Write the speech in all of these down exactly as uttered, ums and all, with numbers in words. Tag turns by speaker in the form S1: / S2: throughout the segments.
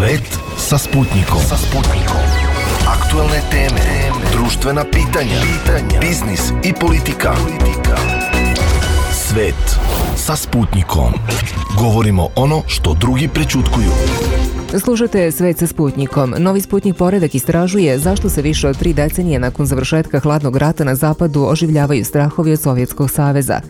S1: Svet sa Sputnikom. Sa Sputnikom. Aktuelne teme, društvena pitanja, pitanja, biznis i politika. politika. Svet sa Sputnikom. Govorimo ono što drugi prećutkuju.
S2: Slušate Svet sa Sputnikom. Novi Sputnik poredak istražuje zašto se više od tri decenije nakon završetka hladnog rata na zapadu oživljavaju strahovi od Sovjetskog saveza.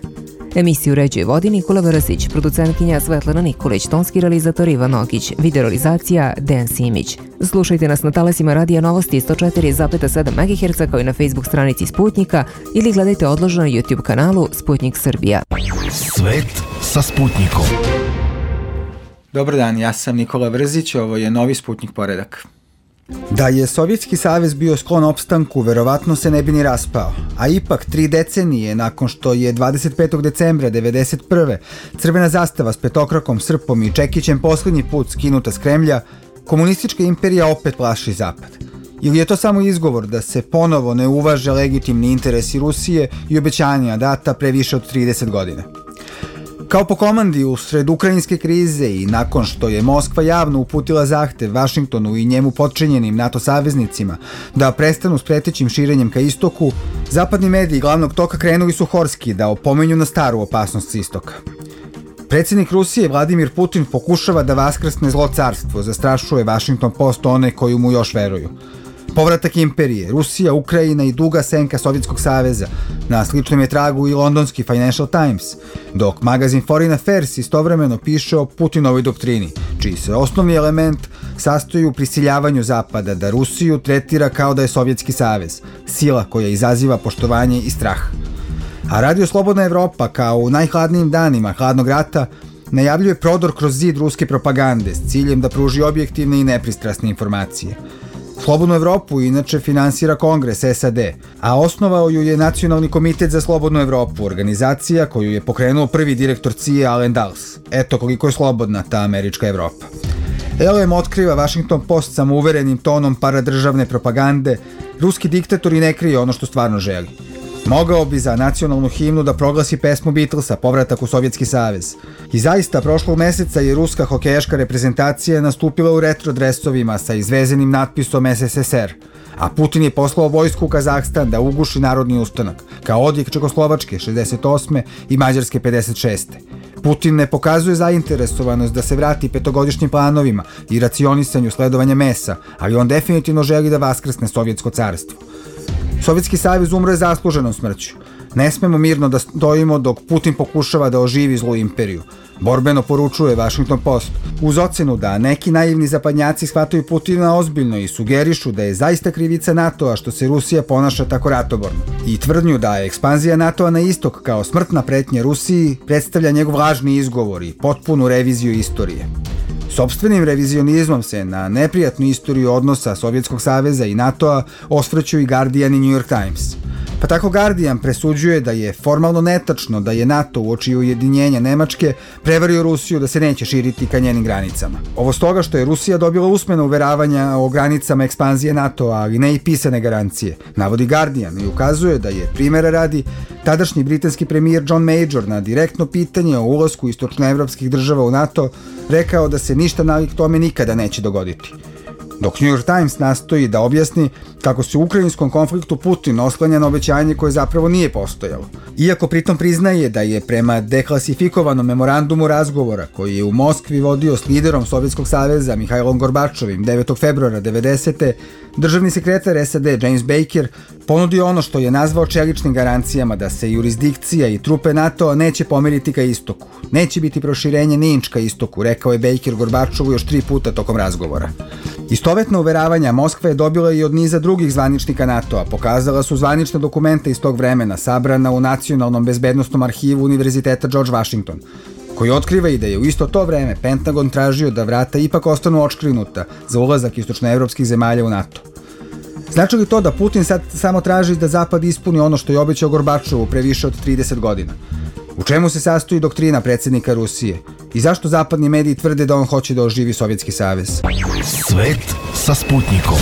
S2: Emisiju uređuje vodi Nikola Vrasić, producentkinja Svetlana Nikolić, tonski realizator Ivan Ogić, videorealizacija Dejan Simić. Slušajte nas na talasima Radija Novosti sto četiri zarez sedam megaherca kao i na Facebook stranici Sputnika ili gledajte odloženo na YouTube kanalu Sputnik Srbija.
S1: Svet sa Sputnikom.
S3: Dobar dan, ja sam Nikola Vrzić, ovo je Novi Sputnik poredak.
S4: Da je Sovjetski savez bio sklon opstanku, verovatno se ne bi ni raspao. A ipak, tri decenije nakon što je dvadeset petog decembra devedeset prve crvena zastava s petokrakom, srpom i čekićem poslednji put skinuta s Kremlja, komunistička imperija opet plaši Zapad. Ili je to samo izgovor da se ponovo ne uvaže legitimni interesi Rusije i obećanja data pre više od trideset godina? Kao po komandi usred ukrajinske krize i nakon što je Moskva javno uputila zahtev Vašingtonu i njemu potčinjenim NATO saveznicima da prestanu s pretećim širenjem ka istoku, zapadni mediji glavnog toka krenuli su horski da opomenju na staru opasnost s istoka. Predsjednik Rusije Vladimir Putin pokušava da vaskrsne zlo carstvo, zastrašuje Washington Post one koji mu još veruju. Povratak imperije, Rusija, Ukrajina i duga senka Sovjetskog saveza, na sličnom je tragu i londonski Financial Times, dok magazin Foreign Affairs istovremeno piše o Putinovoj doktrini, čiji se osnovni element sastoji u prisiljavanju Zapada da Rusiju tretira kao da je Sovjetski savez, sila koja izaziva poštovanje i strah. A Radio Slobodna Evropa, kao u najhladnijim danima hladnog rata, najavljuje prodor kroz zid ruske propagande s ciljem da pruži objektivne i nepristrasne informacije. Slobodnu Evropu inače finansira Kongres S A D, a osnovao ju je Nacionalni komitet za Slobodnu Evropu, organizacija koju je pokrenuo prvi direktor C I A Allen Dulles. Eto koliko je slobodna ta američka Evropa. L M otkriva Washington Post samouverenim tonom paradržavne propagande, ruski diktator i ne krije ono što stvarno želi. Mogao bi za nacionalnu himnu da proglasi pesmu Beatlesa, Povratak u Sovjetski savez. I zaista, prošlog meseca je ruska hokejaška reprezentacija nastupila u retro dresovima sa izvezenim natpisom S S S R, a Putin je poslao vojsku u Kazahstan da uguši narodni ustanak, kao odjek Čekoslovačke šezdeset osme i Mađarske pedeset šeste. Putin ne pokazuje zainteresovanost da se vrati petogodišnjim planovima i racionisanju sledovanja mesa, ali on definitivno želi da vaskrsne Sovjetsko carstvo. Sovjetski savez umro je zasluženom smrću. Ne smemo mirno da stojimo dok Putin pokušava da oživi zlu imperiju. Borbeno poručuje Washington Post, uz ocenu da neki naivni zapadnjaci shvataju Putina ozbiljno i sugerišu da je zaista krivica NATO-a što se Rusija ponaša tako ratoborno. I tvrdnju da je ekspanzija NATO-a na istok kao smrtna pretnja Rusiji predstavlja njegov lažni izgovor i potpunu reviziju istorije. Sopstvenim revizionizmom se na neprijatnu istoriju odnosa Sovjetskog saveza i NATO-a osvrću i Guardian i New York Times. Pa tako Guardian presuđuje da je formalno netačno da je NATO uoči ujedinjenja Nemačke prevario Rusiju da se neće širiti ka njenim granicama. Ovo stoga što je Rusija dobila usmena uveravanja o granicama ekspanzije NATO-a, ali ne i pisane garancije, navodi Guardian i ukazuje da je, primjera radi, tadašnji britanski premijer John Major na direktno pitanje o ulasku istočnoevropskih država u NATO rekao da se ništa nalik tome nikada neće dogoditi. Dok New York Times nastoji da objasni kako se u ukrajinskom konfliktu Putin oslanja na obećanje koje zapravo nije postojalo. Iako pritom priznaje da je prema deklasifikovanom memorandumu razgovora koji je u Moskvi vodio s liderom Sovjetskog saveza Mihajlom Gorbačovim devetog februara devedesete. državni sekretar S A D James Baker ponudio ono što je nazvao čeličnim garancijama da se jurisdikcija i trupe NATO neće pomeriti ka istoku. Neće biti proširenje ni inč ka istoku, rekao je Baker Gorbačovu još tri puta tokom razgovora. Istovetna uveravanja Moskva je dobila i od niza drugih zvaničnika NATO-a, pokazala su zvanične dokumente iz tog vremena, sabrana u Nacionalnom bezbednostnom arhivu Univerziteta George Washington, koji otkriva i da je u isto to vreme Pentagon tražio da vrata ipak ostanu očkrinuta za ulazak istočnoevropskih zemalja u NATO. Znači li to da Putin sad samo traži da Zapad ispuni ono što je obećao Gorbačovu pre više od trideset godina? U čemu se sastoji doktrina predsjednika Rusije? I zašto zapadni mediji tvrde da on hoće da oživi Sovjetski savez?
S1: Svet sa Sputnikom.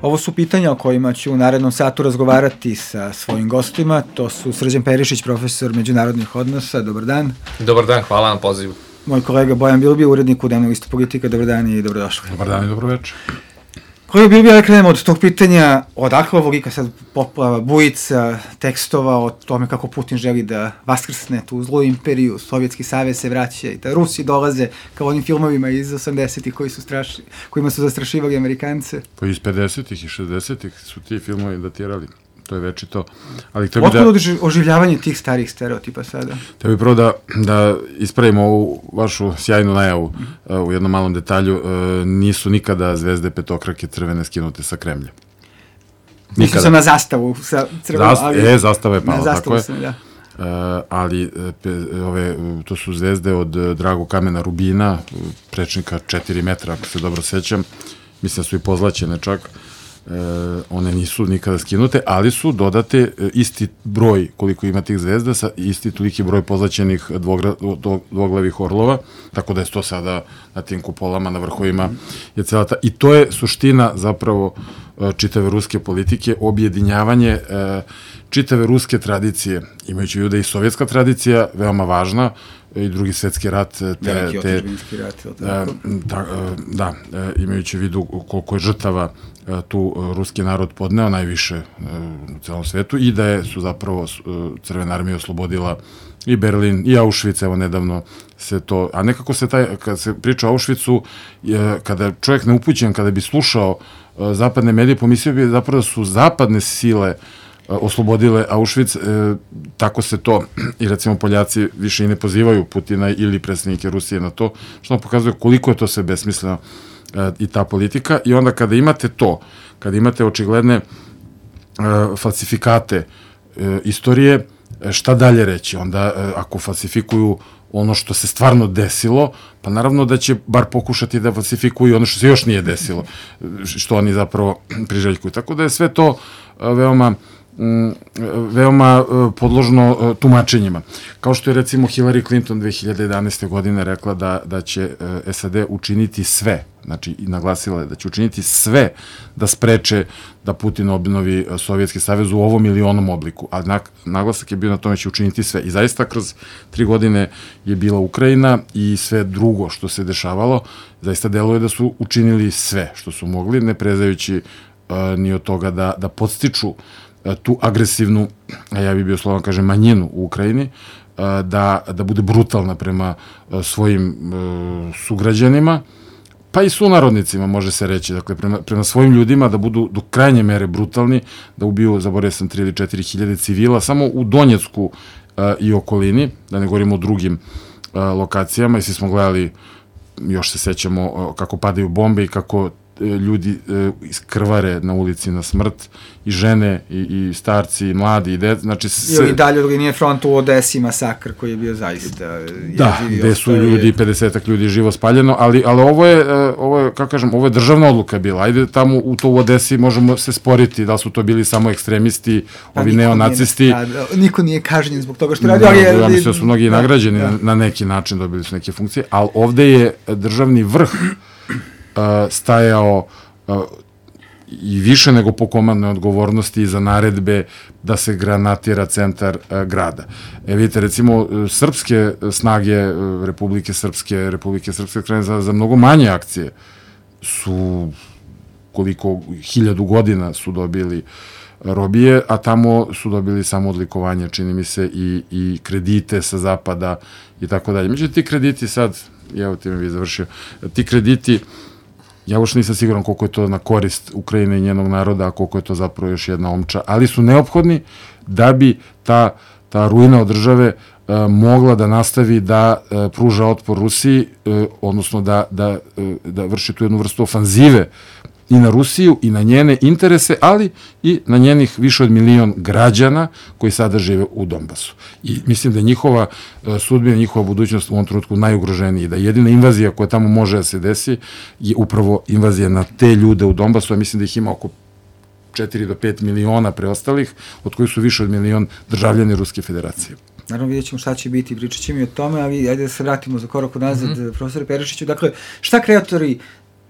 S3: Ovo su pitanja o kojima ću u narednom satu razgovarati sa svojim gostima. To su Srđan Perišić, profesor međunarodnih odnosa. Dobar dan.
S5: Dobar dan, hvala na pozivu.
S3: Moj kolega Bojan Bilbija, urednik u Dnevnog listu Politika. Dobar dan i dobrodošli.
S5: Dobar dan i dobroveče.
S3: Kolega Bilbija, da krenemo od tog pitanja, odakle ovo lika sad poplava, bujica, tekstova o tome kako Putin želi da vaskrsne tu zlu imperiju, Sovjetski savez se vraća i da Rusi dolaze kao onim filmovima iz osamdesetih koji su strašni, kojima su zastrašivali Amerikance.
S5: Pa iz pedesetih i šezdesetih su ti filmovi datirali. To je večito. Ali to bi
S3: Otkud
S5: da...
S3: oživljavanje tih starih stereotipa sada?
S5: To bi prvo da, da ispravimo ovu vašu sjajnu najavu uh, u jednom malom detalju. Uh, nisu nikada zvezde petokrake crvene skinute sa Kremlja.
S3: Nisu se na zastavu sa crvenom,
S5: Zast,
S3: ali...
S5: E, zastava je pala, tako je.
S3: Sam, da.
S5: Uh, ali pe, ove, to su zvezde od Dragog kamena rubina, prečnika četiri metra, ako se dobro sećam. Mislim da su i pozlaćene čak. E, one nisu nikada skinute, ali su dodate e, isti broj koliko ima tih zvezda sa isti toliki broj pozlaćenih dvogra, dvoglavih orlova, tako da je to sada na tim kupolama, na vrhovima je cela ta, i to je suština zapravo e, čitave ruske politike, objedinjavanje e, čitave ruske tradicije, imajući u vidu da i sovjetska tradicija veoma važna, i drugi svetski rat, te,
S3: Veliki
S5: te,
S3: otadžbinski rat, ili tako?
S5: da, da, imajući u vidu koliko je žrtava tu ruski narod podneo najviše u celom svetu i da je, su zapravo Crvena armija oslobodila i Berlin i Auschwitz, evo nedavno se to, a nekako se taj, kad se priča o Auschwitzu, kada je čovjek neupućen, kada bi slušao zapadne medije, pomislio bi zapravo da su zapadne sile oslobodile Auschwitz, e, tako se to, i recimo Poljaci više i ne pozivaju Putina ili predsjednike Rusije na to, što nam pokazuje koliko je to sve besmisleno e, i ta politika. I onda kada imate to, kada imate očigledne e, falsifikate e, istorije, šta dalje reći? Onda e, ako falsifikuju ono što se stvarno desilo, pa naravno da će bar pokušati da falsifikuju ono što se još nije desilo, što oni zapravo priželjkuju. Tako da je sve to e, veoma veoma podložno tumačenjima. Kao što je recimo Hillary Clinton dve hiljade jedanaeste. godine rekla da, da će S A D učiniti sve, znači i naglasila je da će učiniti sve da spreče da Putin obnovi Sovjetski savez u ovom ili onom obliku, a naglasak je bio na tome da će učiniti sve. I zaista kroz tri godine je bila Ukrajina i sve drugo što se dešavalo, zaista deluje da su učinili sve što su mogli, ne prezajući uh, ni od toga da, da podstiču tu agresivnu, a ja bih bio slovan kažem, manjinu u Ukrajini, da, da bude brutalna prema svojim sugrađanima, pa i sunarodnicima, može se reći, dakle, prema, prema svojim ljudima, da budu do krajnje mere brutalni, da ubiju, zaboravio sam, tri ili četiri hiljade civila, samo u Donjecku i okolini, da ne govorimo o drugim lokacijama, i svi smo gledali, još se sećamo kako padaju bombe i kako ljudi iskrvare na ulici na smrt, i žene, i, i starci, i mladi, i dec, znači...
S3: Se... I dalje od linije fronta u Odesi masakr koji je bio zaista...
S5: Da, gde su ljudi, pedesetak ljudi živo spaljeno, ali, ali ovo je, ovo je, kako kažem, ovo je državna odluka bila, ajde tamo u to u Odesi možemo se sporiti, da su to bili samo ekstremisti, pa ovi neonacisti...
S3: Nije, da, niko nije kažnjen zbog toga što radi, ali je...
S5: Ja mislim da su mnogi da, nagrađeni da. Na, na neki način, dobili su neke funkcije, ali ovde je državni vrh stajao i više nego po komandnoj odgovornosti za naredbe da se granatira centar grada. E vidite, recimo, srpske snage Republike Srpske, Republike Srpske krene za, za mnogo manje akcije su koliko hiljadu godina su dobili robije, a tamo su dobili samo odlikovanje, čini mi se, i, i kredite sa zapada i tako dalje. Međutim, ti krediti sad, evo ti me bi završio, ti krediti, ja još nisam siguran koliko je to na korist Ukrajine i njenog naroda, a koliko je to zapravo još jedna omča, ali su neophodni da bi ta, ta ruina od države e, mogla da nastavi da e, pruža otpor Rusiji, e, odnosno da, da, e, da vrši tu jednu vrstu ofanzive i na Rusiju i na njene interese, ali i na njenih više od milion građana koji sada žive u Donbasu. I mislim da je njihova sudbina, njihova budućnost u ovom trenutku najugroženiji, da jedina invazija koja tamo može da se desi je upravo invazija na te ljude u Donbasu, a mislim da ih ima oko četiri do pet miliona preostalih, od kojih su više od milion državljani Ruske federacije.
S3: Naravno, vidjet ćemo šta će biti, pričat ćemo i o tome, ali ajde da se vratimo za korak nazad, mm -hmm. profesore Perišiću. Dakle, šta kreatori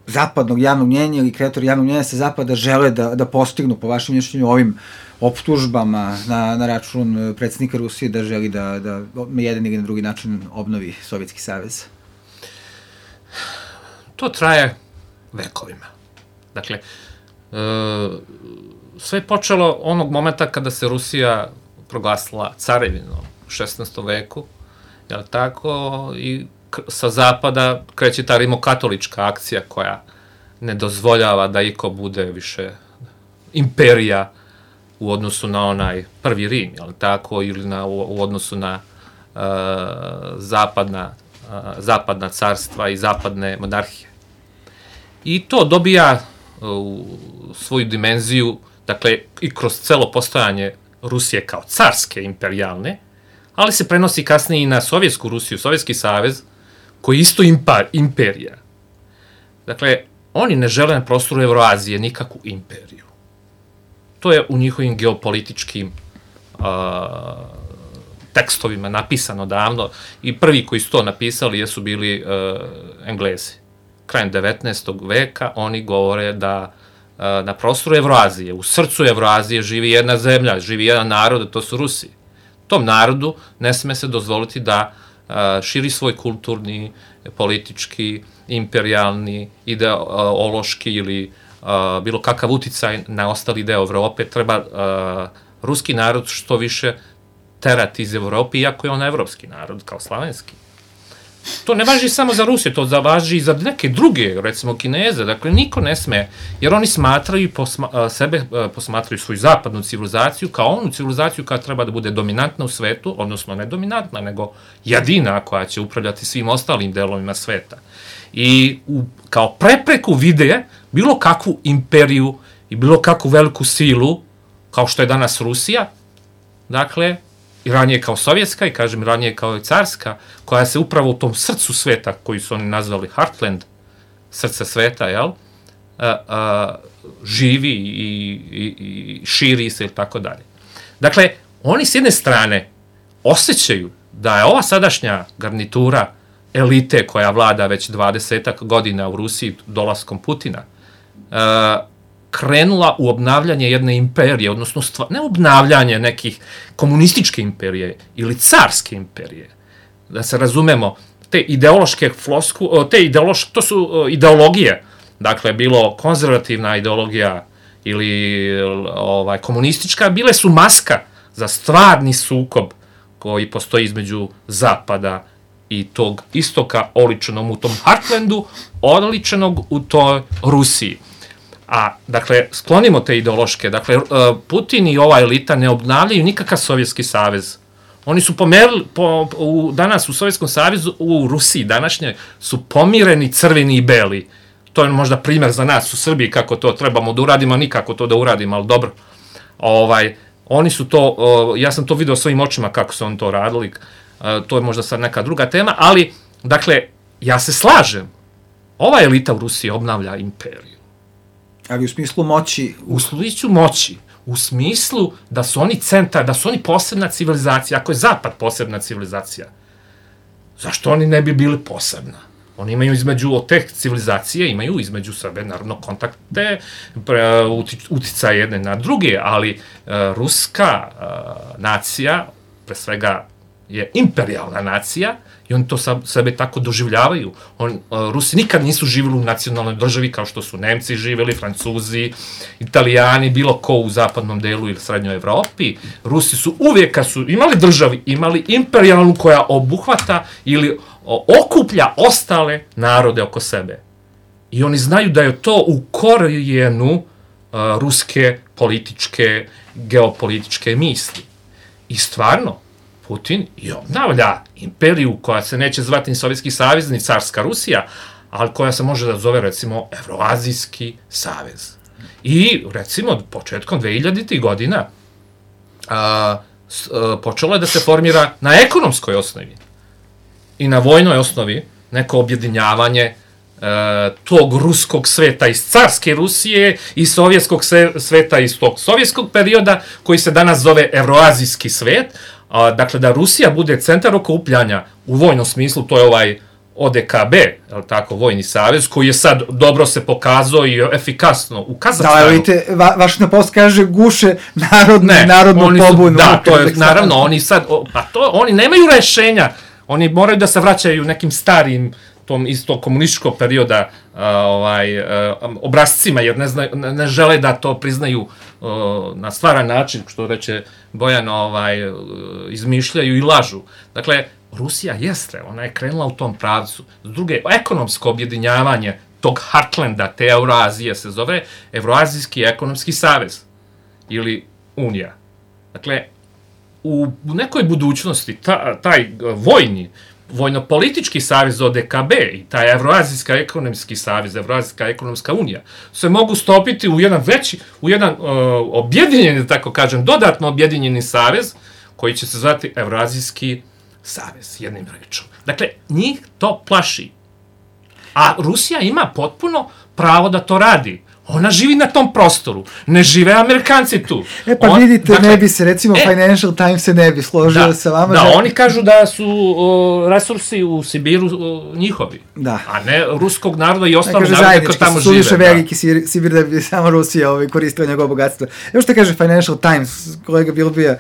S3: zapadnog javnog mnjenja ili kreatori javnog mnjenja sa zapada žele da, da postignu, po vašem mišljenju, ovim optužbama na, na račun predsjednika Rusije da želi da, da na jedan ili na drugi način obnovi Sovjetski savez?
S6: to traje vekovima. Dakle, sve je počelo onog momenta kada se Rusija proglasila carevinom u šesnaestom veku, jel tako, i sa zapada kreće ta rimokatolička akcija koja ne dozvoljava da iko bude više imperija u odnosu na onaj prvi Rim, jel tako, ili na, u, u odnosu na uh, zapadna, uh, zapadna carstva i zapadne monarhije. I to dobija uh, svoju dimenziju, dakle, i kroz celo postojanje Rusije kao carske imperijalne, ali se prenosi kasnije i na Sovjetsku Rusiju, Sovjetski savez, koji je isto impar, imperija. Dakle, oni ne žele na prostoru Evroazije nikakvu imperiju. To je u njihovim geopolitičkim uh, tekstovima napisano davno i prvi koji su to napisali jesu bili uh, Englezi. Krajem devetnaestog veka oni govore da uh, na prostoru Evroazije, u srcu Evroazije živi jedna zemlja, živi jedan narod, to su Rusi. Tom narodu ne sme se dozvoliti da uh, širi svoj kulturni, politički, imperijalni, ideološki ili uh, bilo kakav uticaj na ostali deo Evrope. Treba uh, ruski narod što više terati iz Evrope, iako je on evropski narod, kao slavenski. To ne važi samo za Rusiju, to važi i za neke druge, recimo Kineze. Dakle, niko ne sme, jer oni smatraju posma, sebe, posmatraju svoju zapadnu civilizaciju kao onu civilizaciju koja treba da bude dominantna u svetu, odnosno ne dominantna, nego jedina koja će upravljati svim ostalim delovima sveta. I u, kao prepreku vide bilo kakvu imperiju i bilo kakvu veliku silu, kao što je danas Rusija, dakle, i ranije kao sovjetska, i kažem ranije kao carska, koja se upravo u tom srcu sveta, koji su oni nazvali Heartland, srce sveta, jel, a, a, živi i, i, i širi se, ili tako dalje. Dakle, oni s jedne strane osjećaju da je ova sadašnja garnitura elite koja vlada već dvadesetak godina u Rusiji dolaskom Putina, a, krenula u obnavljanje jedne imperije, odnosno stva, ne obnavljanje nekih komunističke imperije ili carske imperije. Da se razumemo, te ideološke flosku, te ideološke, to su ideologije, dakle, bilo konzervativna ideologija ili ovaj, komunistička, bile su maska za stvarni sukob koji postoji između zapada i tog istoka, oličenom u tom Heartlandu, oličenog u toj Rusiji. A, dakle, sklonimo te ideološke. Dakle, Putin i ova elita ne obnavljaju nikakav Sovjetski savez. Oni su pomerili, po, u, danas u Sovjetskom savezu, u Rusiji današnje, su pomireni crveni i beli. To je možda primjer za nas u Srbiji kako to trebamo da uradimo, nikako to da uradimo, ali dobro. Ovaj, oni su to, ja sam to video svojim očima kako su oni to radili, to je možda sad neka druga tema, ali, dakle, ja se slažem, ova elita u Rusiji obnavlja imperiju.
S3: Ali u smislu moći...
S6: U smislu moći. U smislu da su oni centar, da su oni posebna civilizacija. Ako je Zapad posebna civilizacija, zašto oni ne bi bili posebna? Oni imaju između, od te civilizacije, imaju između sebe, naravno, kontakte, uticaje jedne na druge, ali uh, ruska uh, nacija, pre svega, je imperijalna nacija, i oni to sebe tako doživljavaju. On, uh, Rusi nikad nisu živjeli u nacionalnoj državi kao što su Nemci živjeli, Francuzi, Italijani, bilo ko u zapadnom delu ili srednjoj Evropi. Rusi su uvijek, kad su imali državi, imali imperijalnu koja obuhvata ili o, okuplja ostale narode oko sebe. I oni znaju da je to u korijenu uh, ruske političke, geopolitičke misli. I stvarno, Putin i obnavlja imperiju koja se neće zvati ni Sovjetski savez, ni carska Rusija, ali koja se može da zove, recimo, Evroazijski savez. I, recimo, početkom dvehiljaditih godina a, s, a, počelo je da se formira na ekonomskoj osnovi i na vojnoj osnovi neko objedinjavanje a, tog ruskog sveta iz carske Rusije i sovjetskog sveta iz tog sovjetskog perioda, koji se danas zove Evroazijski svet. A, dakle, da Rusija bude centar okupljanja u vojnom smislu, to je ovaj O D K B, je li tako, vojni savez, koji je sad dobro se pokazao i efikasno u Kazahstanu.
S3: Da, vidite, va, Washington Post kaže guše narodne, ne, narodnu pobunu.
S6: Da, to je, naravno, oni sad, pa to, oni nemaju rešenja, oni moraju da se vraćaju nekim starim tom isto komunističkog perioda ovaj, obrazcima, jer ne, zna, ne žele da to priznaju na stvaran način, što reče Bojan, ovaj, izmišljaju i lažu. Dakle, Rusija jeste, ona je krenula u tom pravcu. S druge, ekonomsko objedinjavanje tog Heartlanda, te Eurazije se zove Evroazijski ekonomski savez ili Unija. Dakle, u nekoj budućnosti ta, taj vojni, vojno-politički savez O D K B i taj Evroazijski ekonomski savez, Evroazijska ekonomska unija se mogu stopiti u jedan veći, u jedan uh, objedinjeni, tako kažem, dodatno objedinjeni savez koji će se zvati Evroazijski savez, jednim rečom. Dakle, njih to plaši. A Rusija ima potpuno pravo da to radi. Ona živi na tom prostoru. Ne žive Amerikanci tu.
S3: E pa
S6: On,
S3: vidite,
S6: dakle,
S3: ne bi se, recimo
S6: e,
S3: Financial Times se ne bi složio
S6: da,
S3: sa vama.
S6: Da,
S3: da,
S6: oni kažu da su o, resursi u Sibiru o, njihovi.
S3: Da.
S6: A ne ruskog naroda i ostalog
S3: naroda
S6: naroda koji tamo žive.
S3: Suviše veliki Sibir, Sibir da bi samo Rusija ovaj, koristila njegovo bogatstvo. Evo što kaže Financial Times, kolega Bilbija,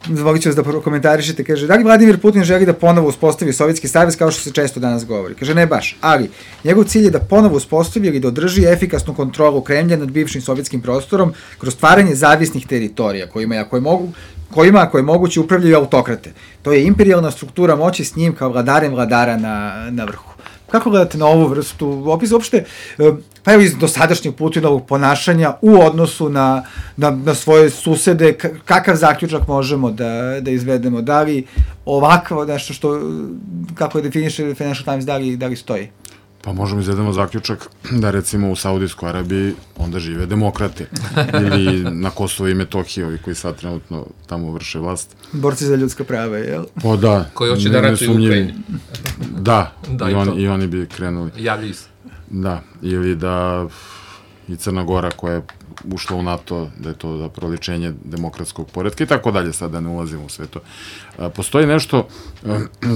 S3: zvolit ću vas da komentarišete, kaže, da li Vladimir Putin želi da ponovo uspostavi Sovjetski savez kao što se često danas govori? Kaže, ne baš, ali njegov cilj je da ponovo uspostavi ili da održi efikasnu kontrolu Kremlja nad bivšim sovjetskim prostorom kroz stvaranje zavisnih teritorija kojima, ako je mogu, kojima ako je moguće upravljaju autokrate. To je imperijalna struktura moći s njim kao vladarem vladara na, na vrhu. Kako gledate na ovu vrstu opisa uopšte, pa evo iz dosadašnjeg Putinovog ponašanja u odnosu na, na, na svoje susede, kakav zaključak možemo da, da izvedemo? Da li ovakvo nešto što, kako je definiše Financial Times, da li, da li stoji?
S5: Pa možemo izvedemo zaključak da recimo u Saudijskoj Arabiji onda žive demokrate ili na Kosovo i Metohiji, ovi koji sad trenutno tamo vrše vlast.
S3: Borci za ljudska prava, jel?
S5: Pa da.
S6: Koji hoće da ratuju u Ukrajini.
S5: Da,
S6: da
S5: i,
S6: i,
S5: on, i oni bi krenuli.
S6: Javljaju se.
S5: Da, ili da i Crna Gora koja je ušla u NATO, da je to zapravo ličenje demokratskog poretka i tako dalje, sad da ne ulazimo u sve to. Postoji nešto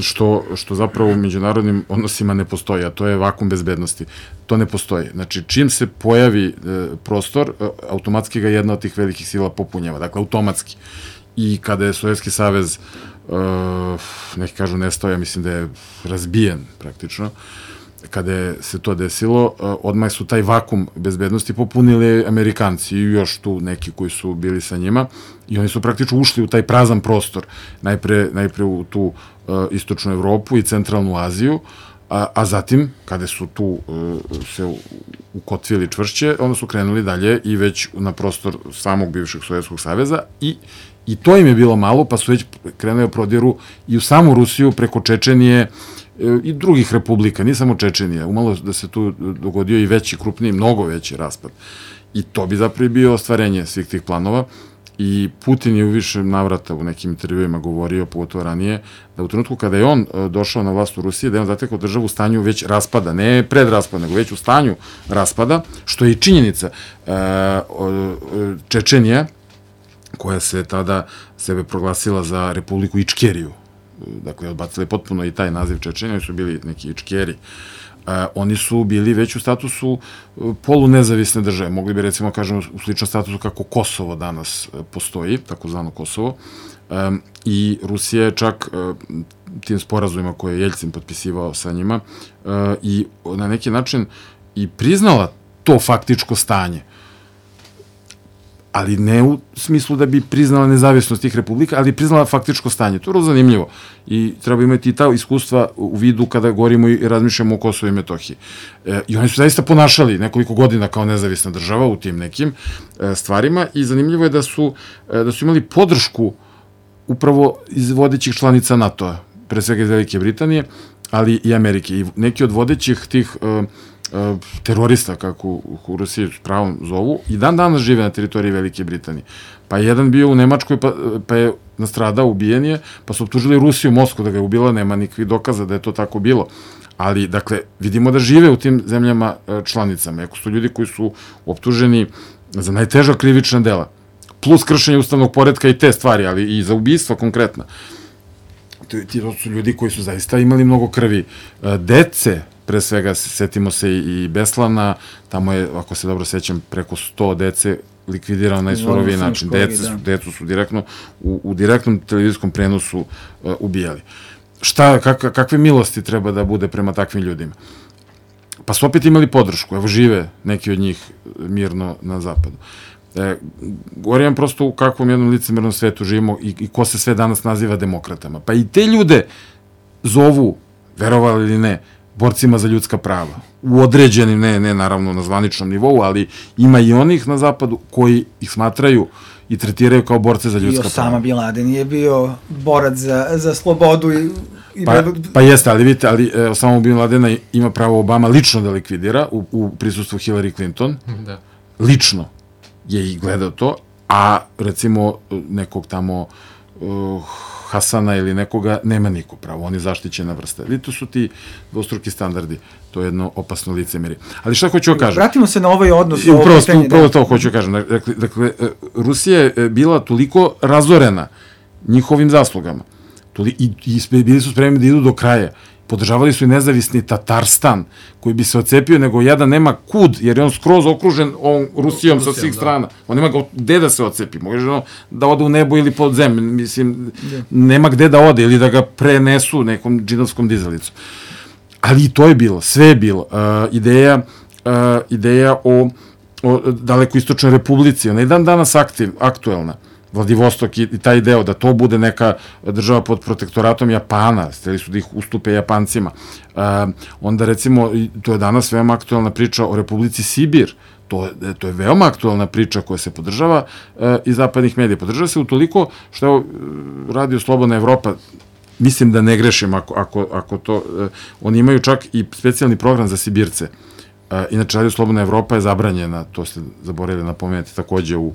S5: što, što zapravo u međunarodnim odnosima ne postoji, a to je vakum bezbednosti. To ne postoji. Znači, čim se pojavi prostor, automatski ga jedna od tih velikih sila popunjava. Dakle, automatski. I kada je Sovjetski savez, neki kažu nestao, ja mislim da je razbijen praktično, kada je se to desilo, odmah su taj vakum bezbednosti popunili Amerikanci i još tu neki koji su bili sa njima i oni su praktično ušli u taj prazan prostor, najpre, najpre u tu uh, istočnu Evropu i centralnu Aziju, a, a zatim, kada su tu uh, se ukotvili čvršće, onda su krenuli dalje i već na prostor samog bivšeg Sovjetskog saveza i I to im je bilo malo, pa su već krenuli prodiru i u samu Rusiju preko Čečenije i drugih republika, nije samo Čečenija, umalo da se tu dogodio i veći, krupniji, mnogo veći raspad. I to bi zapravo bio ostvarenje svih tih planova i Putin je u više navrata u nekim intervjuima govorio, pogotovo ranije, da u trenutku kada je on došao na vlast u Rusiji, da je on zatekao državu u stanju već raspada, ne pred raspada, nego već u stanju raspada, što je i činjenica. Čečenija, koja se tada sebe proglasila za Republiku Ičkeriju, dakle, odbacili potpuno i taj naziv Čečenija, oni su bili neki Ičkeri, Uh, oni su bili već u statusu uh, polunezavisne države, mogli bi recimo kažemo u sličnom statusu kako Kosovo danas uh, postoji, takozvano Kosovo, um, i Rusija je čak uh, tim sporazumima koje je Jeljcin potpisivao sa njima uh, i na neki način i priznala to faktičko stanje, ali ne u smislu da bi priznala nezavisnost tih republika, ali priznala faktičko stanje. To je vrlo zanimljivo i treba imati i ta iskustva u vidu kada govorimo i razmišljamo o Kosovo i Metohiji. E, I oni su zaista ponašali nekoliko godina kao nezavisna država u tim nekim e, stvarima i zanimljivo je da su, e, da su imali podršku upravo iz vodećih članica NATO-a, pre svega iz Velike Britanije, ali i Amerike. I neki od vodećih tih e, terorista, kako u Rusiji s pravom zovu, i dan danas žive na teritoriji Velike Britanije. Pa je jedan bio u Nemačkoj, pa, pa je nastradao, ubijen je, pa su optužili Rusiju, Moskvu da ga je ubila, nema nikakvih dokaza da je to tako bilo. Ali, dakle, vidimo da žive u tim zemljama članicama. Eko su ljudi koji su optuženi za najteža krivična dela, plus kršenje ustavnog poretka i te stvari, ali i za ubistva konkretna. To su ljudi koji su zaista imali mnogo krvi. Dece, pre svega, setimo se i Beslana, tamo je, ako se dobro sećam, preko sto dece likvidirao na najsuroviji način. Decu su, decu su direktno, u, u direktnom televizijskom prenosu uh, ubijali. šta, kak, kakve milosti treba da bude prema takvim ljudima. Pa su opet imali podršku, evo žive neki od njih mirno na zapadu. E, govorim prosto u kakvom jednom licemernom svetu živimo i, i ko se sve danas naziva demokratama. Pa i te ljude zovu, verovali ili ne, borcima za ljudska prava. U određenim, ne, ne naravno na zvaničnom nivou, ali ima i onih na zapadu koji ih smatraju i tretiraju kao borce za ljudska prava.
S3: I Osama Bin Laden je bio borac za, za slobodu i
S5: Pa, pa jeste, ali vidite, ali e, Osama Bin Ladena ima pravo Obama lično da likvidira u, u prisustvu Hillary Clinton. Da. Lično je i gledao to, a recimo nekog tamo uh, Hasana ili nekoga nema niko pravo, on je zaštićena vrsta. Vidite, to su ti dvostruki standardi, to je jedno opasno licemerje. Ali šta hoću da kažem?
S3: Vratimo se na ovaj odnos.
S5: Upravo, upravo to hoću da kažem. Dakle, dakle, Rusija je bila toliko razorena njihovim zaslugama, I, i bili su spremni da idu do kraja. Podržavali su i nezavisni Tatarstan, koji bi se ocepio, nego jedan nema kud, jer je on skroz okružen ovom Rusijom sa svih strana. On nema gde da se ocepi. Može ono da ode u nebo ili pod zemlju. Mislim, nema gde da ode ili da ga prenesu nekom džinovskom dizelicom. Ali i to je bilo, sve je bilo. Uh, ideja, uh, ideja o, o Dalekoistočnoj republici, ona je dan danas aktiv, aktuelna. Vladivostok i taj deo, da to bude neka država pod protektoratom Japana, steli su da ih ustupe Japancima. Uh, onda recimo, to je danas veoma aktualna priča o Republici Sibir, to, to je veoma aktualna priča koja se podržava uh, iz zapadnih medija. Podržava se utoliko što je Radio Slobodna Evropa, mislim da ne grešim ako, ako, ako to, uh, oni imaju čak i specijalni program za Sibirce. Uh, inače, Radio Slobodna Evropa je zabranjena, to ste zaboravili napomenuti takođe u,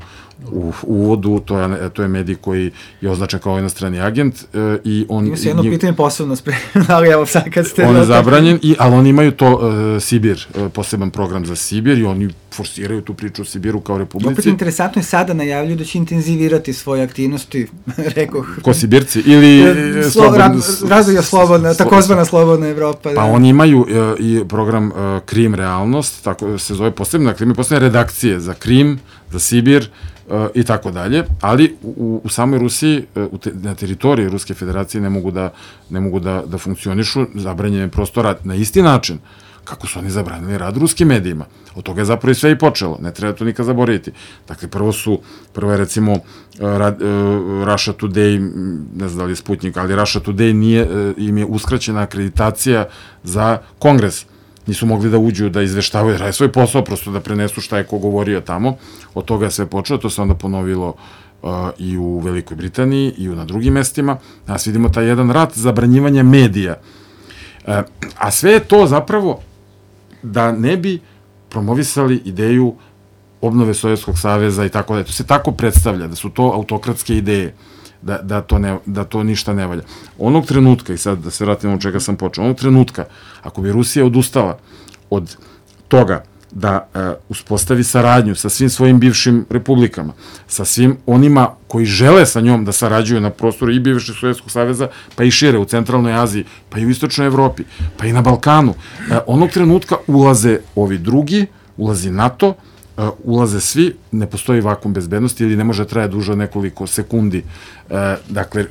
S5: u, u uvodu, to je, to je medij koji je označen kao inostrani agent. Uh, i on,
S3: Ima se jedno njeg... pitanje posebno spremno, ali evo sad kad ste...
S5: On je zabranjen, i, ali oni imaju to uh, Sibir, uh, poseban program za Sibir i oni forsiraju tu priču o Sibiru kao republici.
S3: Opet interesantno je sada najavljuju da će intenzivirati svoje aktivnosti, rekoh.
S5: Ko Sibirci? Ili...
S3: Slo, slobodna, razvoja slobodna, takozvana Slobodna Evropa.
S5: Pa
S3: da.
S5: oni imaju uh, i program uh, Krim realnost, tako se zove posebno, dakle imaju posebne redakcije za Krim, za Sibir uh, i tako dalje, ali u, u samoj Rusiji, uh, u te, na teritoriji Ruske federacije ne mogu da, ne mogu da, da funkcionišu, zabranjen je prosto rad na isti način kako su oni zabranili rad ruskim medijima. Od toga je zapravo i sve i počelo, ne treba to nikad zaboraviti. Dakle, prvo su, prvo je recimo uh, rad, uh, Russia Today, ne znam da li je Sputnik, ali Russia Today nije, uh, im je uskraćena akreditacija za kongres. Nisu mogli da uđu, da izveštavaju, da rade svoj posao, prosto da prenesu šta je ko govorio tamo. Od toga je sve počelo, to se onda ponovilo uh, i u Velikoj Britaniji i u, na drugim mestima. Nas vidimo taj jedan rat zabranjivanja medija. Uh, a sve je to zapravo da ne bi promovisali ideju obnove Sovjetskog saveza i tako da. To se tako predstavlja, da su to autokratske ideje, da, da, to, ne, da to ništa ne valja. Onog trenutka, i sad da se vratimo od čega sam počeo, onog trenutka, ako bi Rusija odustala od toga da e, uspostavi saradnju sa svim svojim bivšim republikama, sa svim onima koji žele sa njom da sarađuju na prostoru i bivšeg Sovjetskog saveza, pa i šire u centralnoj Aziji, pa i u istočnoj Evropi, pa i na Balkanu, e, onog trenutka ulaze ovi drugi, ulazi NATO, e, ulaze svi, ne postoji vakum bezbednosti ili ne može traje duže od nekoliko sekundi. E, dakle,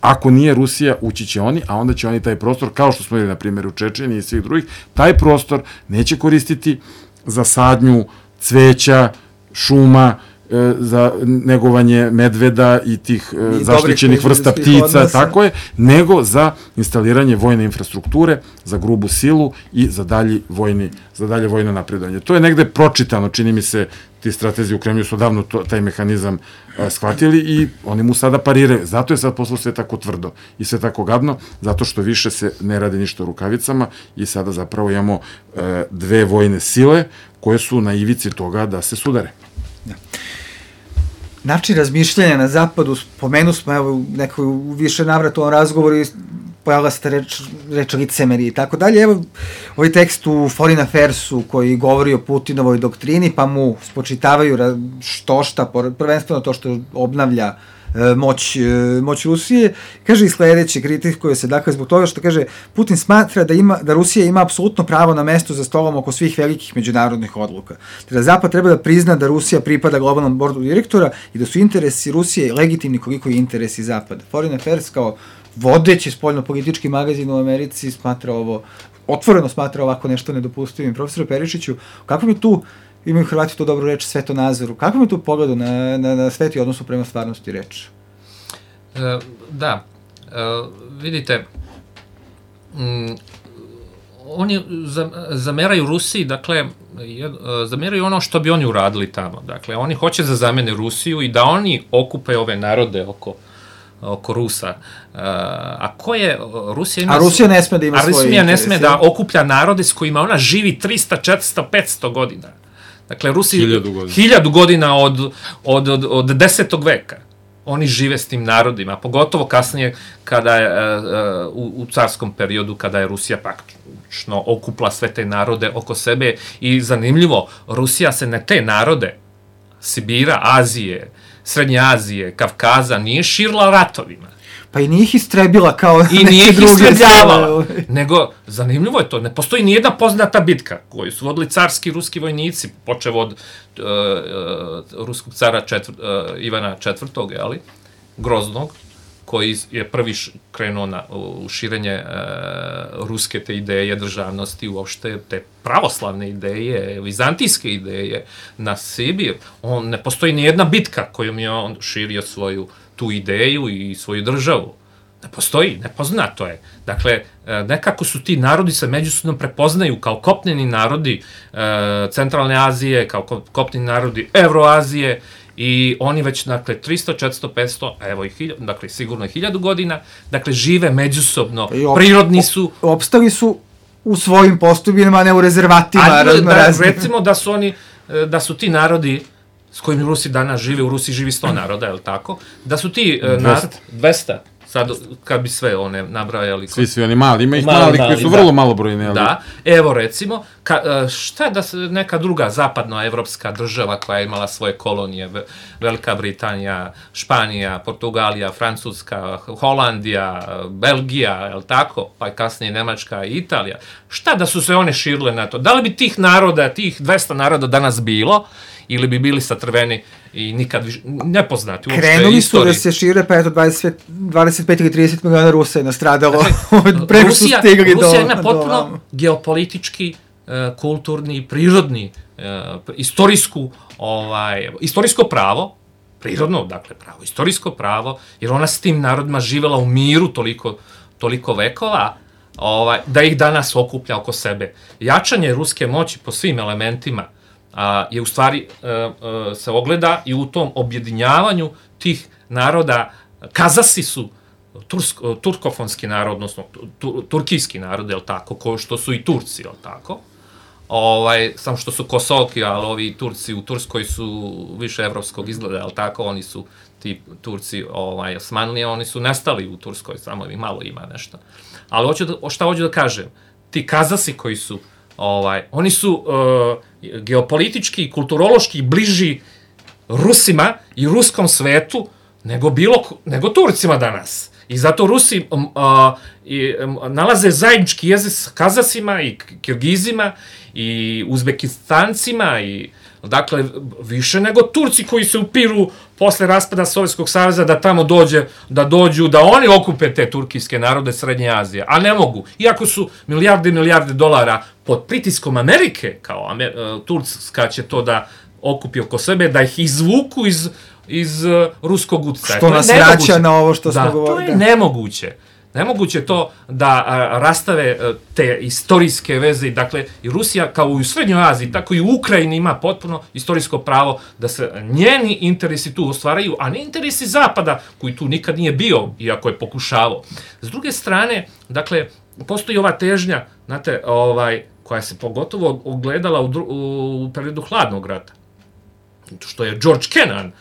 S5: ako nije Rusija, ući će oni, a onda će oni taj prostor, kao što smo imali na primjer u Čečeni i svih drugih, taj prostor neće koristiti za sadnju cveća, šuma, e, za negovanje medveda i tih e, zaštićenih vrsta ptica, odnosa. Tako je, nego za instaliranje vojne infrastrukture, za grubu silu i za dalje vojni, za dalje vojno napredovanje. To je negde pročitano, čini mi se, ti stratezi u Kremlju su davno to, taj mehanizam a, shvatili i oni mu sada pariraju. Zato je sad poslo sve tako tvrdo i sve tako gadno, zato što više se ne radi ništa rukavicama i sada zapravo imamo e, dve vojne sile koje su na ivici toga da se sudare.
S3: Da. Način razmišljanja na zapadu, spomenu smo evo nekoj u više navrata u ovom razgovoru i pojavila se reč, reč licemerije i tako dalje. Evo, ovaj tekst u Foreign Affairsu koji govori o Putinovoj doktrini, pa mu spočitavaju što šta, prvenstveno to što obnavlja moć, moć Rusije. Kaže i sledeće, kritikuje se, dakle, zbog toga što kaže, Putin smatra da, ima, da Rusija ima apsolutno pravo na mesto za stolom oko svih velikih međunarodnih odluka. Da Zapad treba da prizna da Rusija pripada globalnom bordu direktora i da su interesi Rusije legitimni koliko i interesi Zapada. Foreign Affairs kao vodeći spoljno-politički magazin u Americi smatra ovo, otvoreno smatra ovako nešto nedopustivim. Profesor Perišiću, kako mi tu, imaju Hrvati to dobro reč, svetonazoru, kako mi tu pogledu na, na, na svet i odnosu prema stvarnosti reč?
S6: E, da, e, vidite, m, oni zameraju Rusiji, dakle, zameraju ono što bi oni uradili tamo. Dakle, oni hoće da zamene Rusiju i da oni okupe ove narode oko oko Rusa. A ko je Rusija ima...
S3: A Rusija ne sme da ima svoje
S6: interese. A Rusija ne sme da okuplja narode s kojima ona živi trista, četiristo, petsto godina. Dakle, Rusija...
S5: Hiljadu godina.
S6: Hiljadu godina od, od, od, od desetog veka. Oni žive s tim narodima, pogotovo kasnije kada je, u, u carskom periodu, kada je Rusija praktično okupla sve te narode oko sebe i zanimljivo, Rusija se na te narode Sibira, Azije, Srednje Azije, Kavkaza nije širila ratovima.
S3: Pa i nije ih istrebila kao
S6: I nije ih istrebljavala. Nego, zanimljivo je to, ne postoji nijedna poznata bitka koju su vodili carski ruski vojnici, počev od uh, uh, ruskog cara četvr, uh, Ivana četvrtog, ali, Groznog, koji je prvi š, krenuo na, u širenje uh, ruske te ideje državnosti, uopšte te pravoslavne ideje, vizantijske ideje na Sibir. On, ne postoji nijedna bitka kojom je on širio svoju tu ideju i svoju državu. Ne postoji, nepoznato je. Dakle, nekako su ti narodi se međusobno prepoznaju kao kopneni narodi Centralne Azije, kao kopneni narodi Evroazije i oni već, dakle, tristo, četiristo, petsto, evo i hiljadu, dakle, sigurno hiljadu godina, dakle, žive međusobno, op, prirodni su...
S3: Opstali su u svojim postupinama, a ne u rezervatima.
S6: A, da, recimo da su oni, da su ti narodi s kojim Rusi danas žive, u Rusiji živi sto naroda, je li tako? Da su ti narod... dvesta. Sad, kad bi sve one nabrajali...
S5: Svi, svi oni mali, ima ih mali, mali koji su da. Vrlo malobrojni, ali...
S6: Da, evo recimo, ka, šta je da se neka druga zapadnoevropska država koja je imala svoje kolonije, Velika Britanija, Španija, Portugalija, Francuska, Holandija, Belgija, je li tako? Pa i kasnije Nemačka i Italija. Šta da su se one širile na to? Da li bi tih naroda, tih dvesta naroda danas bilo, ili bi bili satrveni i nikad više, nepoznati uopšte istoriji.
S3: Krenuli su da se šire, pa eto dvadeset, dvadeset pet ili trideset miliona Rusa je nastradalo. Preko Rusija, su stigli do...
S6: Rusija ima potpuno do... geopolitički, kulturni, prirodni, istorijsku, ovaj, istorijsko pravo, prirodno, dakle pravo, istorijsko pravo, jer ona s tim narodima živela u miru toliko, toliko vekova, ovaj, da ih danas okuplja oko sebe. Jačanje ruske moći po svim elementima a, je u stvari a, a, se ogleda i u tom objedinjavanju tih naroda. Kazasi su tursk, turkofonski narod, odnosno tur, turkijski narod, je li tako, ko što su i Turci, je li tako? Ovaj, samo što su Kosovki, ali ovi Turci u Turskoj su više evropskog izgleda, je li tako? Oni su, ti Turci, ovaj, Osmanlije, oni su nestali u Turskoj, samo i malo ima nešto. Ali hoću da, šta hoću da kažem? Ti Kazasi koji su, ovaj, oni su uh, geopolitički i kulturološki bliži Rusima i ruskom svetu nego, bilo, nego Turcima danas. I zato Rusi um, uh, i, um, nalaze zajednički jezik s Kazasima i Kirgizima i Uzbekistancima i dakle, više nego Turci koji se upiru posle raspada Sovjetskog saveza da tamo dođe, da dođu, da oni okupe te turkijske narode Srednje Azije, a ne mogu. Iako su milijarde i milijarde dolara pod pritiskom Amerike, kao Amer, uh, Turska će to da okupi oko sebe, da ih izvuku iz, iz uh, ruskog utjecaja.
S3: Što nas vraća na ovo što smo govorili.
S6: Da, to je nemoguće. Nemoguće to da a, rastave a, te istorijske veze, dakle i Rusija kao i u Srednjoj Aziji, tako i u Ukrajini ima potpuno istorijsko pravo da se njeni interesi tu ostvaraju, a ne interesi Zapada, koji tu nikad nije bio, iako je pokušavao. S druge strane, dakle, postoji ova težnja, znate, ovaj, koja se pogotovo ogledala u, u periodu Hladnog rata, što je George Kennan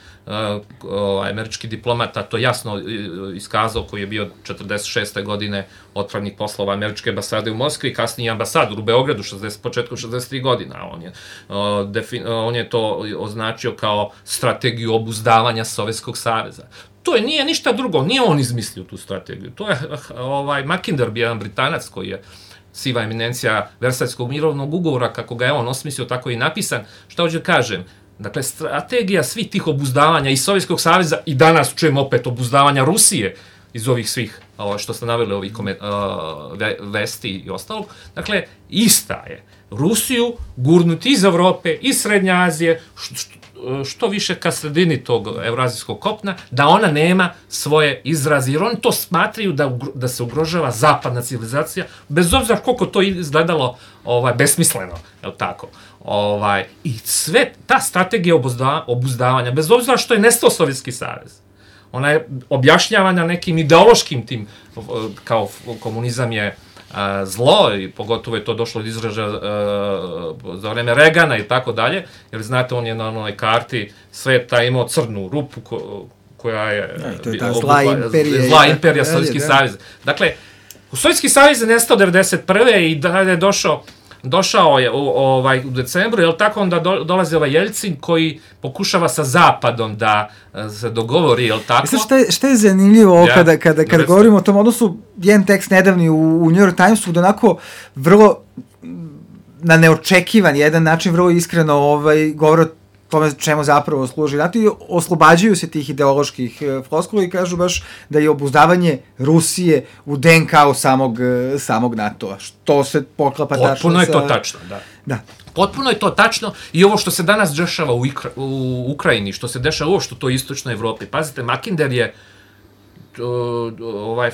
S6: američki diplomata to jasno iskazao, koji je bio četrdeset šeste godine otpravnik poslova američke ambasade u Moskvi, kasnije ambasador u Beogradu početkom šezdeset tri godina. On je, on je to označio kao strategiju obuzdavanja Sovjetskog saveza. To je, nije ništa drugo, nije on izmislio tu strategiju. To je ovaj, Mackinder, jedan Britanac koji je siva eminencija Versajskog mirovnog ugovora, kako ga je on osmislio, tako i napisan. Šta hoću kažem? Dakle, strategija svih tih obuzdavanja i Sovjetskog saveza i danas čujemo opet obuzdavanja Rusije iz ovih svih, što ste naveli, ovih vesti i ostalog. Dakle, ista je. Rusiju gurnuti iz Evrope, iz Srednje Azije, što više ka sredini tog evrazijskog kopna, da ona nema svoje izraze, jer oni to smatraju da, da se ugrožava zapadna civilizacija, bez obzira koliko to izgledalo ovaj, besmisleno, je li tako? Ovaj, I sve ta strategija obuzda, obuzdavanja, bez obzira što je nestao Sovjetski savez, ona je objašnjavana nekim ideološkim tim, kao komunizam je a, zlo, i pogotovo je to došlo od izražaja za vreme Regana i tako dalje, jer znate, on je na onoj karti sveta imao crnu rupu ko, koja je...
S3: Ja, to je ta zla imperija.
S6: Zla imperija, Sovjetski savez. Dakle, u Sovjetski savez je nestao devedeset prve i da je došao došao je u, ovaj, u decembru, jel tako, onda do, dolazi ovaj Jeljcin koji pokušava sa Zapadom da se dogovori, jel tako?
S3: Mislim, šta je, šta je zanimljivo ja, kada, kada, kada govorimo o tom odnosu, jedan tekst nedavni u, u New York Timesu, da onako vrlo na neočekivan jedan način, vrlo iskreno ovaj, govore o tome čemu zapravo služi. Znate, oslobađaju se tih ideoloških floskula i kažu baš da je obuzdavanje Rusije u D N K-u samog, samog NATO-a. Što se poklapa tačno sa...
S6: Potpuno je to tačno, da.
S3: Da.
S6: Potpuno je to tačno i ovo što se danas dešava u, Ikra, u Ukrajini, što se dešava ovo što to u istočnoj Evropi. Pazite, Mackinder je ovaj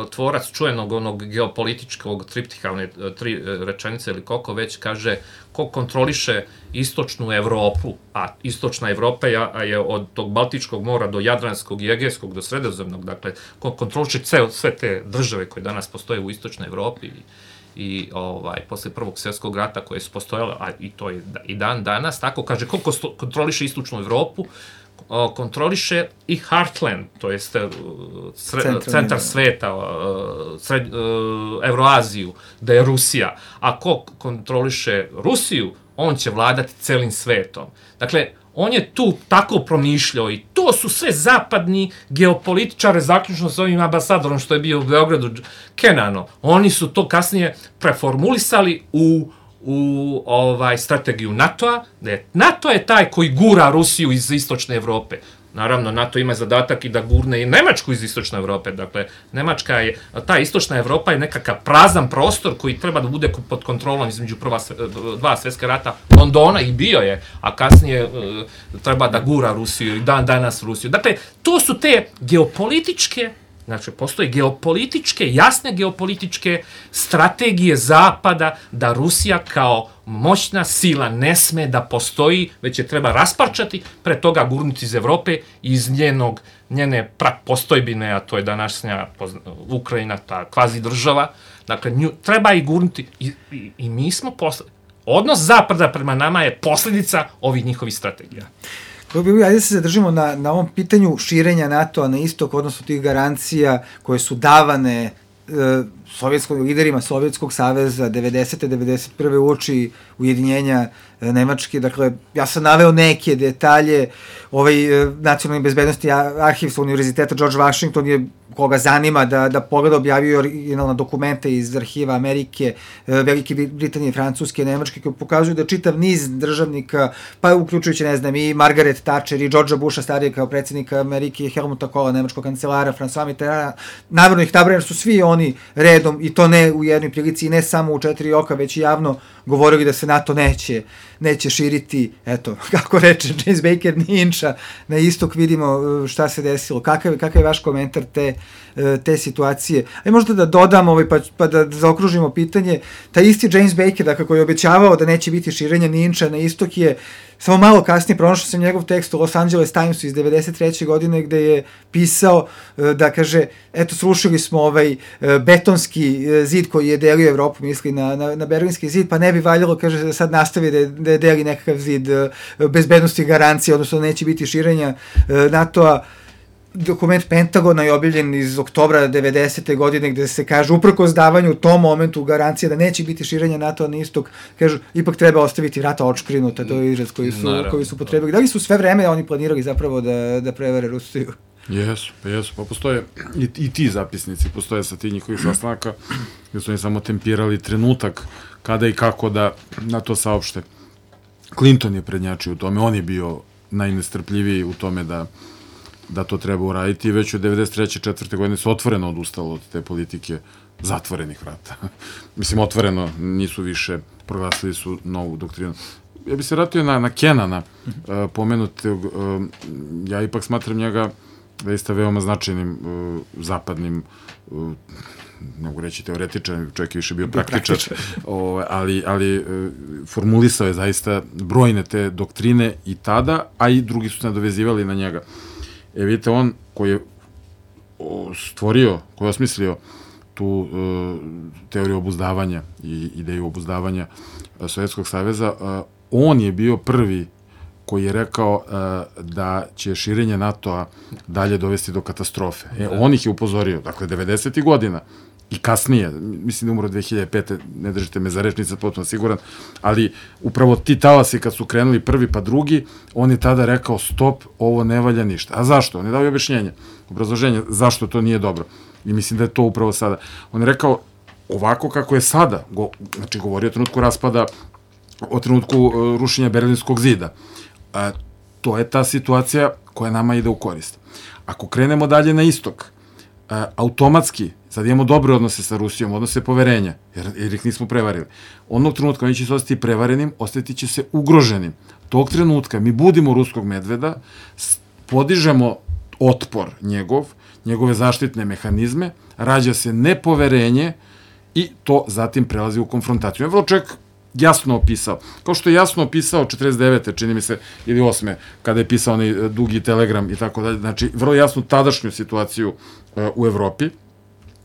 S6: tvorac čuvenog onog geopolitičkog triptiha, one tri rečenice ili koliko već, kaže ko kontroliše istočnu Evropu, a istočna Evropa je od tog Baltičkog mora do Jadranskog i Egejskog do Sredozemnog, dakle, ko kontroliše ceo, sve te države koje danas postoje u istočnoj Evropi i, i ovaj, posle Prvog svjetskog rata koje su postojale, a i to je i dan danas, tako kaže, ko kontroliše istočnu Evropu, kontroliše i Heartland, to jest centar sveta, sred, Evroaziju, da je Rusija. A ko kontroliše Rusiju, on će vladati celim svetom. Dakle, on je tu tako promišljao i to su sve zapadni geopolitičare, zaključno s ovim ambasadorom što je bio u Beogradu, Kenano. Oni su to kasnije preformulisali u u ovaj strategiju NATO-a, da je NATO je taj koji gura Rusiju iz istočne Evrope. Naravno, NATO ima zadatak i da gurne i Nemačku iz istočne Evrope. Dakle, Nemačka je, ta istočna Evropa je nekakav prazan prostor koji treba da bude pod kontrolom između prva, dva svjetska rata Londona i bio je, a kasnije treba da gura Rusiju i dan danas Rusiju. Dakle, to su te geopolitičke, znači, postoje geopolitičke, jasne geopolitičke strategije Zapada da Rusija kao moćna sila ne sme da postoji, već je treba rasparčati, pre toga gurnuti iz Evrope, iz njenog, njene postojbine, a to je današnja Ukrajina, ta kvazi država. Dakle, nju treba i gurnuti. I, i, i mi smo posle... Odnos Zapada prema nama je posljedica ovih njihovih strategija.
S3: Ajde se zadržimo na, na ovom pitanju širenja NATO-a na istok, odnosno tih garancija koje su davane e, sovjetskim liderima Sovjetskog saveza devedesete devedeset prve uoči ujedinjenja e, Nemačke. Dakle, ja sam naveo neke detalje, ovaj e, nacionalni bezbednosti arhiv sa univerziteta George Washington je, koga zanima da, da pogleda, objavio originalna dokumenta iz arhiva Amerike, Velike Britanije, Francuske, Nemačke, koji pokazuju da čitav niz državnika, pa uključujući, ne znam, i Margaret Thatcher i Georgea Busha starije kao predsjednika Amerike, Helmuta Kohla, nemačkog kancelara, François Mitterrand, navrno ih nabrajam, su svi oni redom, i to ne u jednoj prilici, i ne samo u četiri oka, već i javno govorili da se NATO neće, neće širiti, eto, kako reče James Baker, ni inča, na istok. Vidimo šta se desilo. Kakav, kakav je vaš komentar te, te situacije? Aj možda da dodam, ovaj, pa, pa da zaokružimo pitanje, taj isti James Baker, dakle, koji je obećavao da neće biti širenja ni inča na istok, je samo malo kasnije pronašao sam njegov tekst u Los Angeles Timesu iz devedeset treće godine gde je pisao da kaže, eto, srušili smo ovaj betonski zid koji je delio Evropu, misli na, na, na Berlinski zid, pa ne bi valjalo, kaže, da sad nastavi da je, da je deli nekakav zid bezbednosti i garancije, odnosno neće biti širenja NATO-a. Dokument Pentagona je objavljen iz oktobra devedesete godine gde se kaže uprkos davanju u tom momentu garancije da neće biti širenja NATO na istok, kažu ipak treba ostaviti vrata otškrinuta, to je izraz koji su, koji su potrebili. Da li su sve vreme oni planirali zapravo da, da prevare Rusiju?
S5: Jesu, pa jesu, pa postoje i, i ti zapisnici, postoje sa ti njihovih sastanaka gde su oni samo tempirali trenutak kada i kako da na to saopšte. Clinton je prednjačio u tome, on je bio najnestrpljiviji u tome da da to treba uraditi i već u devedeset treće četvrte godine se otvoreno odustalo od te politike zatvorenih vrata. Mislim, otvoreno, nisu više, proglasili su novu doktrinu. Ja bih se vratio na, na Kenana, uh, pomenutog, uh, ja ipak smatram njega zaista veoma značajnim uh, zapadnim, uh, ne mogu reći teoretičan, čovjek je više bio praktičar, o, ali, ali uh, formulisao je zaista brojne te doktrine i tada, a i drugi su se nadovezivali na njega. E, vidite, on koji je stvorio, koji je osmislio tu uh, teoriju obuzdavanja i ideju obuzdavanja uh, Sovjetskog saveza, uh, on je bio prvi koji je rekao uh, da će širenje NATO-a dalje dovesti do katastrofe. E, on ih je upozorio, dakle, devedesetih godina i kasnije, mislim da umro dve hiljade pete, ne držite me za reč, nisam potpuno siguran, ali upravo ti talasi kad su krenuli prvi pa drugi, on je tada rekao stop, ovo ne valja ništa. A zašto? On je dao objašnjenje, obrazloženje zašto to nije dobro. I mislim da je to upravo sada. On je rekao ovako kako je sada, go, znači govorio o trenutku raspada, o trenutku uh, rušenja Berlinskog zida. Uh, to je ta situacija koja nama ide u korist. Ako krenemo dalje na istok, uh, automatski, sad imamo dobre odnose sa Rusijom, odnose poverenja, jer, jer ih nismo prevarili. Onog trenutka oni će se ostati prevarenim, ostati će se ugroženim. Tog trenutka mi budimo ruskog medveda, podižemo otpor njegov, njegove zaštitne mehanizme, rađa se nepoverenje i to zatim prelazi u konfrontaciju. Je vrlo čovjek jasno opisao. Kao što je jasno opisao četrdeset devete čini mi se, ili osme, kada je pisao onaj dugi telegram i tako dalje. Znači, vrlo jasno tadašnju situaciju uh, u Evropi,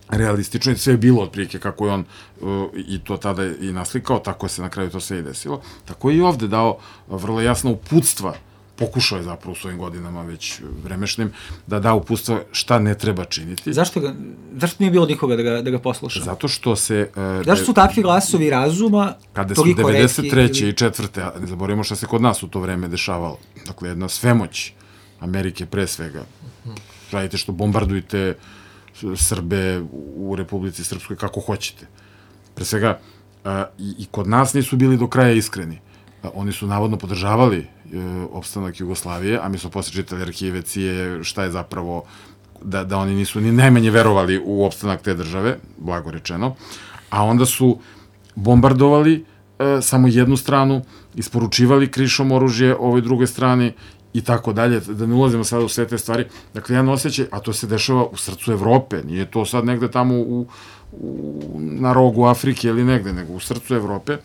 S5: realistično, sve je bilo otprilike kako je on uh, i to tada i naslikao, tako se na kraju to sve i desilo. Tako je i ovde dao vrlo jasno uputstva, pokušao je zapravo u svojim godinama već vremešnim, da da uputstva šta ne treba činiti.
S3: Zašto, ga, zašto nije bilo nikoga da ga, da ga posluša?
S5: Zato što se... Uh,
S3: zašto su takvi glasovi razuma
S5: kada su devedeset treće i četvrte a ne zaboravimo šta se kod nas u to vreme dešavalo. Dakle, jedna svemoć Amerike pre svega. Radite što bombardujte Srbe u Republici Srpskoj kako hoćete. Pre svega, uh, i, i kod nas nisu bili do kraja iskreni. Uh, oni su navodno podržavali uh, opstanak Jugoslavije, a mi smo posle čitali arhive, C I E, šta je zapravo, da, da oni nisu ni najmanje verovali u opstanak te države, blago rečeno, a onda su bombardovali uh, samo jednu stranu, isporučivali krišom oružje ovoj drugoj strani i tako dalje, da ne ulazimo sada u sve te stvari. Dakle, jedan osjećaj, a to se dešava u srcu Evrope, nije to sad negde tamo u, u, na rogu Afrike ili negde, nego u srcu Evrope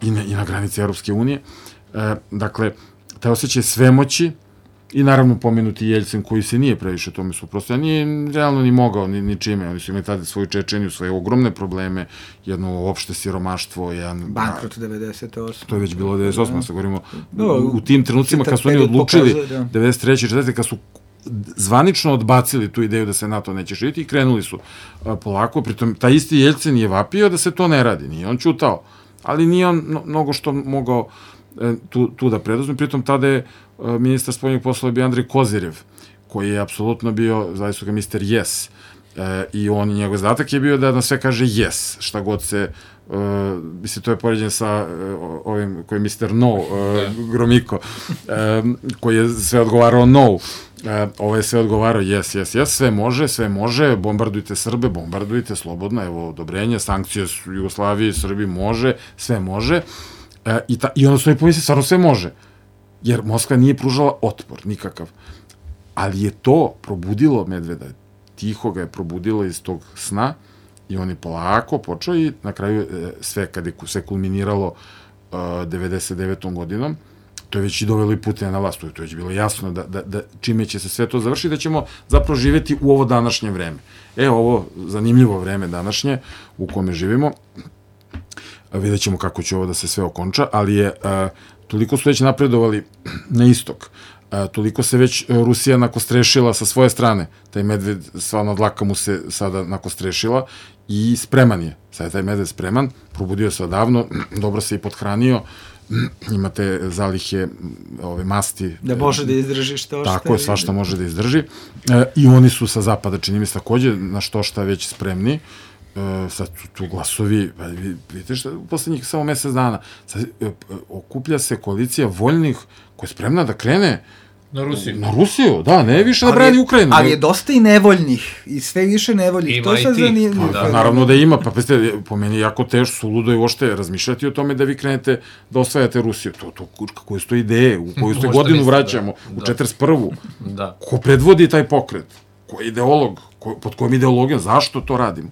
S5: i na, i na granici Evropske unije. E, dakle, taj osjećaj svemoći i naravno pomenuti Jeljcin koji se nije previše tome suprotstavio, nije realno ni mogao ni, ni čime, oni su imali tada svoju Čečeniju, svoje ogromne probleme, jedno opšte siromaštvo, jedan...
S3: Bankrot devedeset osme.
S5: To je već bilo devedeset osme, sad govorimo u, u tim trenucima kad su oni odlučili devedeset treće i četvrte kad su zvanično odbacili tu ideju da se NATO neće širiti i krenuli su a, polako, pritom taj isti Jeljcin je vapio da se to ne radi, nije on ćutao, ali nije on no, mnogo što mogao e, tu, tu da preduzme, pritom tada je e, ministar spoljnih poslova bio Andrej Kozirev, koji je apsolutno bio, zaista ga mister Yes, e, i on, njegov zadatak je bio da na sve kaže yes, šta god se, uh, mislim, to je poređen sa uh, ovim koji je mister No, uh, Gromiko, uh, koji je sve odgovarao no, uh, ovo je sve odgovarao yes, yes, yes, sve može, sve može, bombardujte Srbe, bombardujte, slobodno, evo, odobrenje, sankcije Jugoslavije, Srbiji, može, sve može, uh, i, ta, i onda su i pomisli, stvarno sve može, jer Moskva nije pružala otpor, nikakav, ali je to probudilo Medveda, tiho ga je probudilo iz tog sna i on je polako počeo i na kraju sve, kada je sve kulminiralo uh, devedeset devetom godinom, to je već i dovelo i Putina na vlast, to je, to je već bilo jasno da, da, da čime će se sve to završiti, da ćemo zapravo živjeti u ovo današnje vreme. E, ovo zanimljivo vreme današnje u kome živimo, vidjet ćemo kako će ovo da se sve okonča, ali je, a, toliko su već napredovali na istok, a, toliko se već Rusija nakostrešila sa svoje strane, taj medved, stvarno dlaka mu se sada nakostrešila i spreman je, sad je taj medved spreman, probudio se odavno, dobro se i pothranio, imate zalihe ove masti.
S3: Da može da izdrži što šta.
S5: Tako je, svašta može da izdrži. E, I oni su sa zapada, čini mi se takođe, na što šta već spremni. E, sad tu, tu glasovi, vidite što, u poslednjih samo mesec dana, sad, e, okuplja se koalicija voljnih koja je spremna da krene
S6: na Rusiju.
S5: Na Rusiju, da, ne više da brani Ukrajinu.
S3: Ali je dosta i nevoljnih, i sve više nevoljnih.
S6: Ima
S3: to
S6: i
S3: sad
S6: ti.
S3: zanimljivo.
S5: Pa, naravno da ima, pa peste, po meni je jako teško, suludo je uopšte razmišljati o tome da vi krenete da osvajate Rusiju. To, to, koje su to ideje, u koju ste godinu
S6: mislite,
S5: vraćamo,
S6: da.
S5: u četrdeset prvu.
S6: Da.
S5: Ko predvodi taj pokret? Ko je ideolog? Ko, pod kojom ideologijom? Zašto to radimo?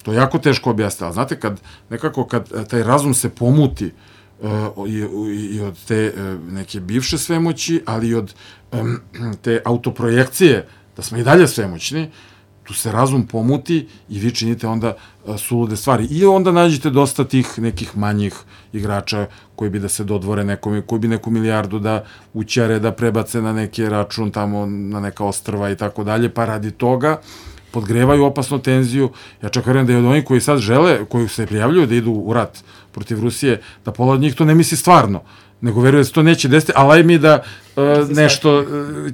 S5: To je jako teško objasniti, ali znate, kad, nekako kad taj razum se pomuti uh, i, i od te uh, neke bivše svemoći, ali i od um, te autoprojekcije, da smo i dalje svemoćni, tu se razum pomuti i vi činite onda uh, sulude stvari. I onda nađete dosta tih nekih manjih igrača koji bi da se dodvore nekome, koji bi neku milijardu da ućare, da prebace na neki račun tamo, na neka ostrva i tako dalje, pa radi toga podgrevaju opasnu tenziju. Ja čak verujem da je od onih koji sad žele, koji se prijavljuju da idu u rat protiv Rusije, da pola od njih to ne misli stvarno, nego veruje da se to neće desiti, ali aj mi da uh, nešto uh,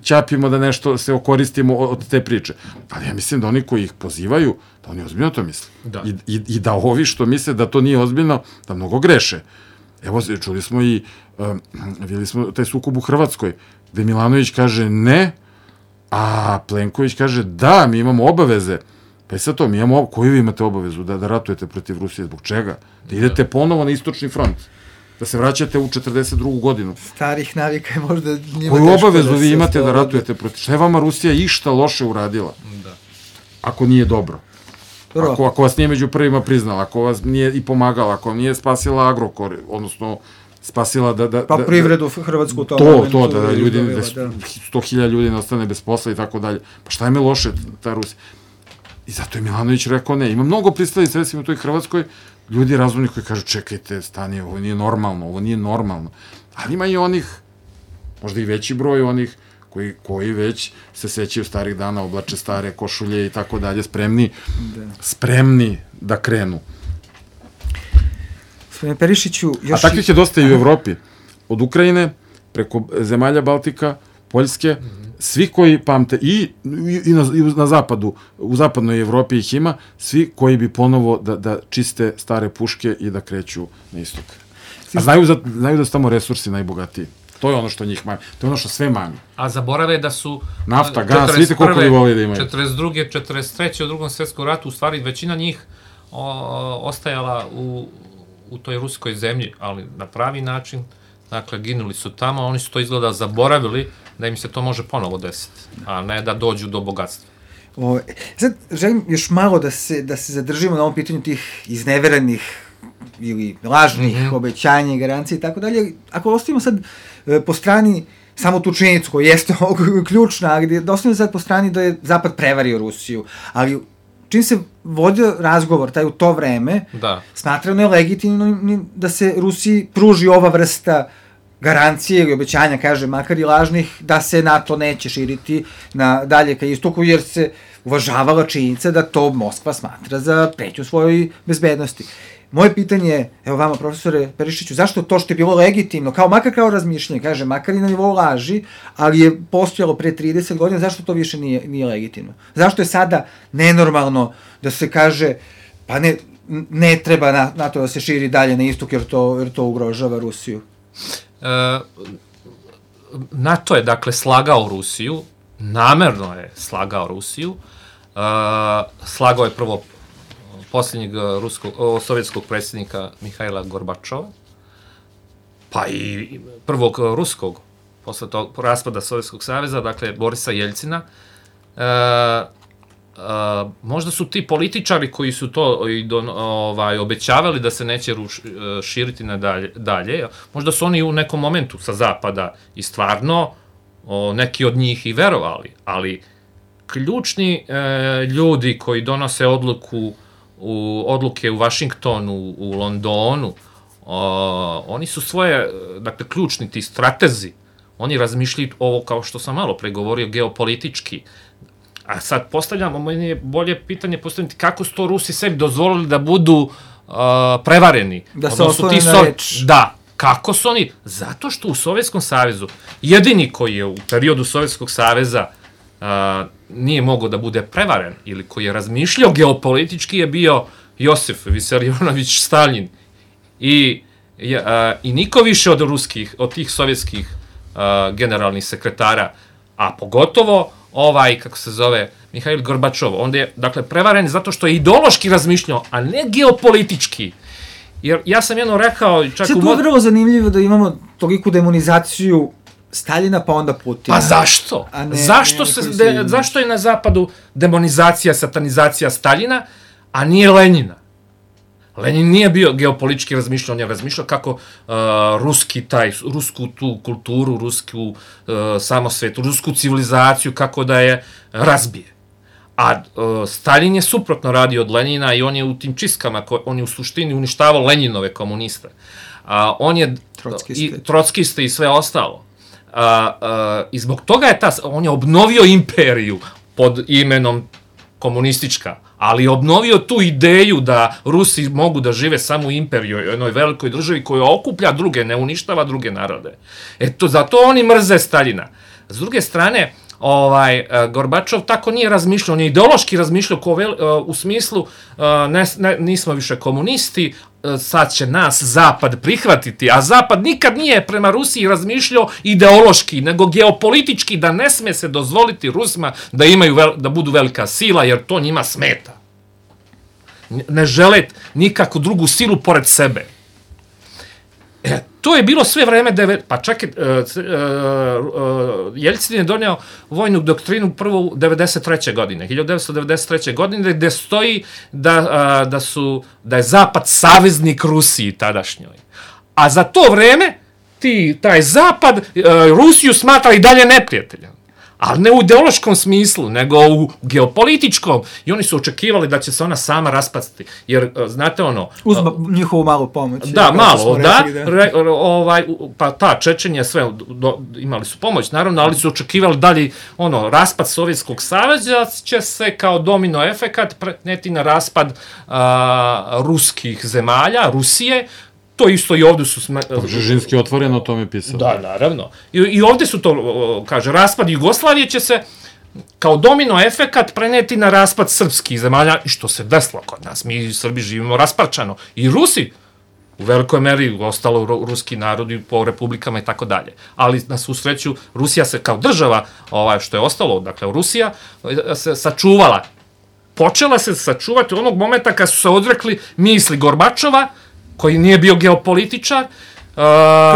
S5: ćapimo, da nešto se okoristimo od, od te priče. Ali ja mislim da oni koji ih pozivaju, da oni ozbiljno to misle.
S6: Da.
S5: I, i, I da ovi što misle da to nije ozbiljno, da mnogo greše. Evo, čuli smo i, uh, vidjeli smo taj sukob u Hrvatskoj, gde Milanović kaže ne, a Plenković kaže da, mi imamo obaveze. Pa i sad to, mi imamo, koju vi imate obavezu da, da ratujete protiv Rusije, zbog čega? Da idete ponovo na istočni front, da se vraćate u četrdeset drugu godinu.
S3: Starih navika je možda njima
S5: koju
S3: teško
S5: obavezu
S3: da
S5: vi
S3: se
S5: imate da
S3: oslobode.
S5: ratujete protiv? Šta je vama Rusija išta loše uradila?
S6: Da.
S5: Ako nije dobro.
S3: Prvo.
S5: Ako, ako vas nije među prvima priznala, ako vas nije i pomagala, ako nije spasila Agrokor, odnosno spasila da... da
S3: Pa
S5: da,
S3: privredu Hrvatsku to.
S5: To, to, da, da ljudi,
S3: izdvojila,
S5: da sto hiljada ljudi ne ostane bez posla i tako dalje. Pa šta je me loše ta Rusija? I zato je Milanović rekao ne. Ima mnogo pristalica, recimo u toj Hrvatskoj, ljudi razumni koji kažu čekajte, stani, ovo nije normalno, ovo nije normalno. Ali ima i onih, možda i veći broj onih koji, koji već se sećaju starih dana, oblače stare košulje i tako dalje, spremni, da. spremni da krenu.
S3: Gospodine Perišiću, još...
S5: A takvih je dosta i u Evropi. Od Ukrajine, preko zemalja Baltika, Poljske, svi koji pamte, i, i, na, i na zapadu, u zapadnoj Evropi ih ima, svi koji bi ponovo da, da čiste stare puške i da kreću na istok. A znaju, za, znaju da su tamo resursi najbogatiji. To je ono što njih mani. To je ono što sve mani.
S6: A zaborave da su...
S5: Nafta, gas, vidite koliko bi voli da imaju.
S6: četrdeset druge, četrdeset treće u drugom svjetskom ratu, u stvari većina njih o, ostajala u, u toj ruskoj zemlji, ali na pravi način. Dakle, ginuli su tamo, oni su to izgleda zaboravili da im se to može ponovo desiti, a ne da dođu do bogatstva.
S3: O, sad, želim još malo da se, da se zadržimo na ovom pitanju tih izneveranih ili lažnih mm-hmm. obećanja i garancije i tako dalje. Ako ostavimo sad e, po strani samo tu činjenicu koja jeste ključna, ali da ostavimo sad po strani da je Zapad prevario Rusiju, ali čim se vodio razgovor taj u to vreme,
S6: da.
S3: smatrano je legitimno da se Rusiji pruži ova vrsta garancije ili obećanja, kaže, makar i lažnih, da se NATO neće širiti na dalje ka istoku, jer se uvažavala činjenica da to Moskva smatra za preću svojoj bezbednosti. Moje pitanje je, evo vama, profesore Perišiću, zašto to što je bilo legitimno, kao makar kao razmišljanje, kaže, makar i na nivou laži, ali je postojalo pre trideset godina, zašto to više nije, nije legitimno? Zašto je sada nenormalno da se kaže, pa ne, ne treba na, NATO da se širi dalje na istok, jer to, jer to ugrožava Rusiju?
S6: E, NATO je, dakle, slagao Rusiju, namerno je slagao Rusiju, e, slagao je prvo posljednjeg ruskog, o, sovjetskog predsjednika Mihajla Gorbačova, pa i prvog ruskog, posle tog raspada Sovjetskog saveza, dakle, Borisa Jeljcina, e, Uh, možda su ti političari koji su to i don, ovaj, obećavali da se neće ruš, širiti na dalje, dalje, možda su oni u nekom momentu sa zapada i stvarno o, neki od njih i verovali, ali ključni e, ljudi koji donose odluku u, odluke u Vašingtonu, u Londonu, o, oni su svoje, dakle, ključni ti stratezi, oni razmišljaju ovo, kao što sam malo pregovorio, geopolitički. A sad postavljamo, meni je bolje pitanje postaviti kako su to Rusi sebi dozvolili da budu uh, prevareni.
S3: Da se oslone na reč.
S6: Da, kako su oni? Zato što u Sovjetskom savezu, jedini koji je u periodu Sovjetskog saveza uh, nije mogao da bude prevaren ili koji je razmišljao geopolitički je bio Josif Visarionović Stalin. I, uh, i niko više od ruskih, od tih sovjetskih uh, generalnih sekretara, a pogotovo ovaj, kako se zove, Mihail Gorbačov, on je, dakle, prevaren zato što je ideološki razmišljao, a ne geopolitički. Jer ja sam jedno rekao... Čak
S3: Sve to je vrlo zanimljivo da imamo toliku demonizaciju Staljina pa onda Putina.
S6: Pa zašto? Ne, zašto, se, de, zašto je na zapadu demonizacija, satanizacija Staljina, a nije Lenjina? Lenin nije bio geopolitički razmišljao, on je razmišljao kako uh, ruski taj, rusku tu kulturu, rusku uh, samosvetu, rusku civilizaciju, kako da je razbije. A uh, Stalin je suprotno radio od Lenina i on je u tim čistkama, on je u suštini uništavao Lenjinove komuniste. Uh, on je
S3: Trockiste.
S6: i trockiste i sve ostalo. Uh, uh, I zbog toga je ta, on je obnovio imperiju pod imenom komunistička, ali obnovio tu ideju da Rusi mogu da žive samo u imperiju, jednoj velikoj državi koja okuplja druge, ne uništava druge narode. Eto, zato oni mrze Staljina. S druge strane, ovaj, Gorbačov tako nije razmišljao, on je ideološki razmišljao ko vel, u smislu ne, ne, nismo više komunisti, sad će nas Zapad prihvatiti, a Zapad nikad nije prema Rusiji razmišljao ideološki, nego geopolitički, da ne sme se dozvoliti Rusima da imaju vel, da budu velika sila, jer to njima smeta. Ne žele nikakvu drugu silu pored sebe. E, to je bilo sve vreme, deve, pa čak je, uh, uh, uh, Jeljcin je doneo vojnu doktrinu prvo u devedeset treće godine, hiljadu devetsto devedeset treće godine, gde stoji da, uh, da, su, da je Zapad saveznik Rusiji tadašnjoj. A za to vreme ti, taj Zapad uh, Rusiju smatra i dalje neprijateljem. Ali ne u ideološkom smislu, nego u geopolitičkom. I oni su očekivali da će se ona sama raspasti. Jer, znate ono...
S3: Uz njihovu malu pomoć.
S6: Da, malo, da. Rekli, da. Re, ovaj, pa ta Čečenja, sve, do, imali su pomoć, naravno, ali su očekivali dalje, ono, raspad Sovjetskog saveza će se kao domino efekat preneti na raspad a, ruskih zemalja, Rusije. To isto i ovde su... Sme...
S5: Žežinski otvoreno o tome pisao.
S6: Da, naravno. I, I ovde su to, kaže, raspad Jugoslavije će se kao domino efekat preneti na raspad srpskih zemalja, i što se desilo kod nas. Mi Srbi živimo rasparčano. I Rusi, u velikoj meri, ostalo ruski narodi po republikama i tako dalje. Ali, na svu sreću, Rusija se kao država, ovaj, što je ostalo, dakle, Rusija se sačuvala. Počela se sačuvati onog momenta kad su se odrekli misli Gorbačova, koji nije bio geopolitičar. Uh,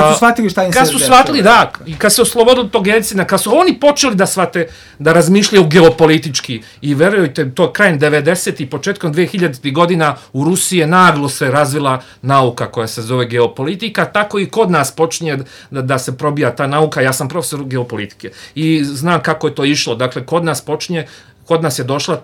S3: kad su shvatili šta im se...
S6: Kad su shvatili, da, i kad se oslobodili tog Jeljcina, kad su oni počeli da shvate, da razmišljaju geopolitički, i verujte, to krajem devedesetih i početkom dvehiljaditih godina u Rusiji je naglo se razvila nauka koja se zove geopolitika, tako i kod nas počinje da, da se probija ta nauka. Ja sam profesor geopolitike i znam kako je to išlo. Dakle, kod nas počinje, kod nas je došla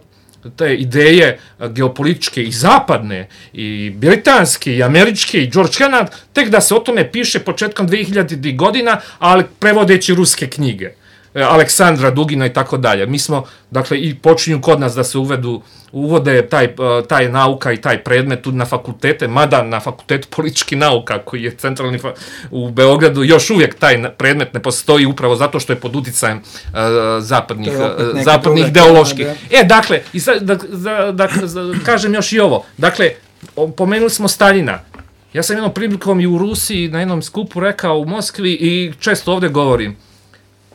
S6: te ideje geopolitičke i zapadne, i britanske, i američke, i George Kennan, tek da se o tome piše početkom dvehiljaditih godina, ali prevodeći ruske knjige. Aleksandra Dugina i tako dalje. Mi smo, dakle, i počinju kod nas da se uvedu, uvode taj, taj nauka i taj predmet tu na fakultete, mada na fakultetu političkih nauka, koji je centralni u Beogradu, još uvijek taj predmet ne postoji upravo zato što je pod uticajem uh, zapadnih, uh, zapadnih ideoloških. E, dakle, i sad, da, da, da, da kažem još i ovo. Dakle, pomenuli smo Staljina. Ja sam jednom prilikom i u Rusiji na jednom skupu rekao u Moskvi i često ovde govorim,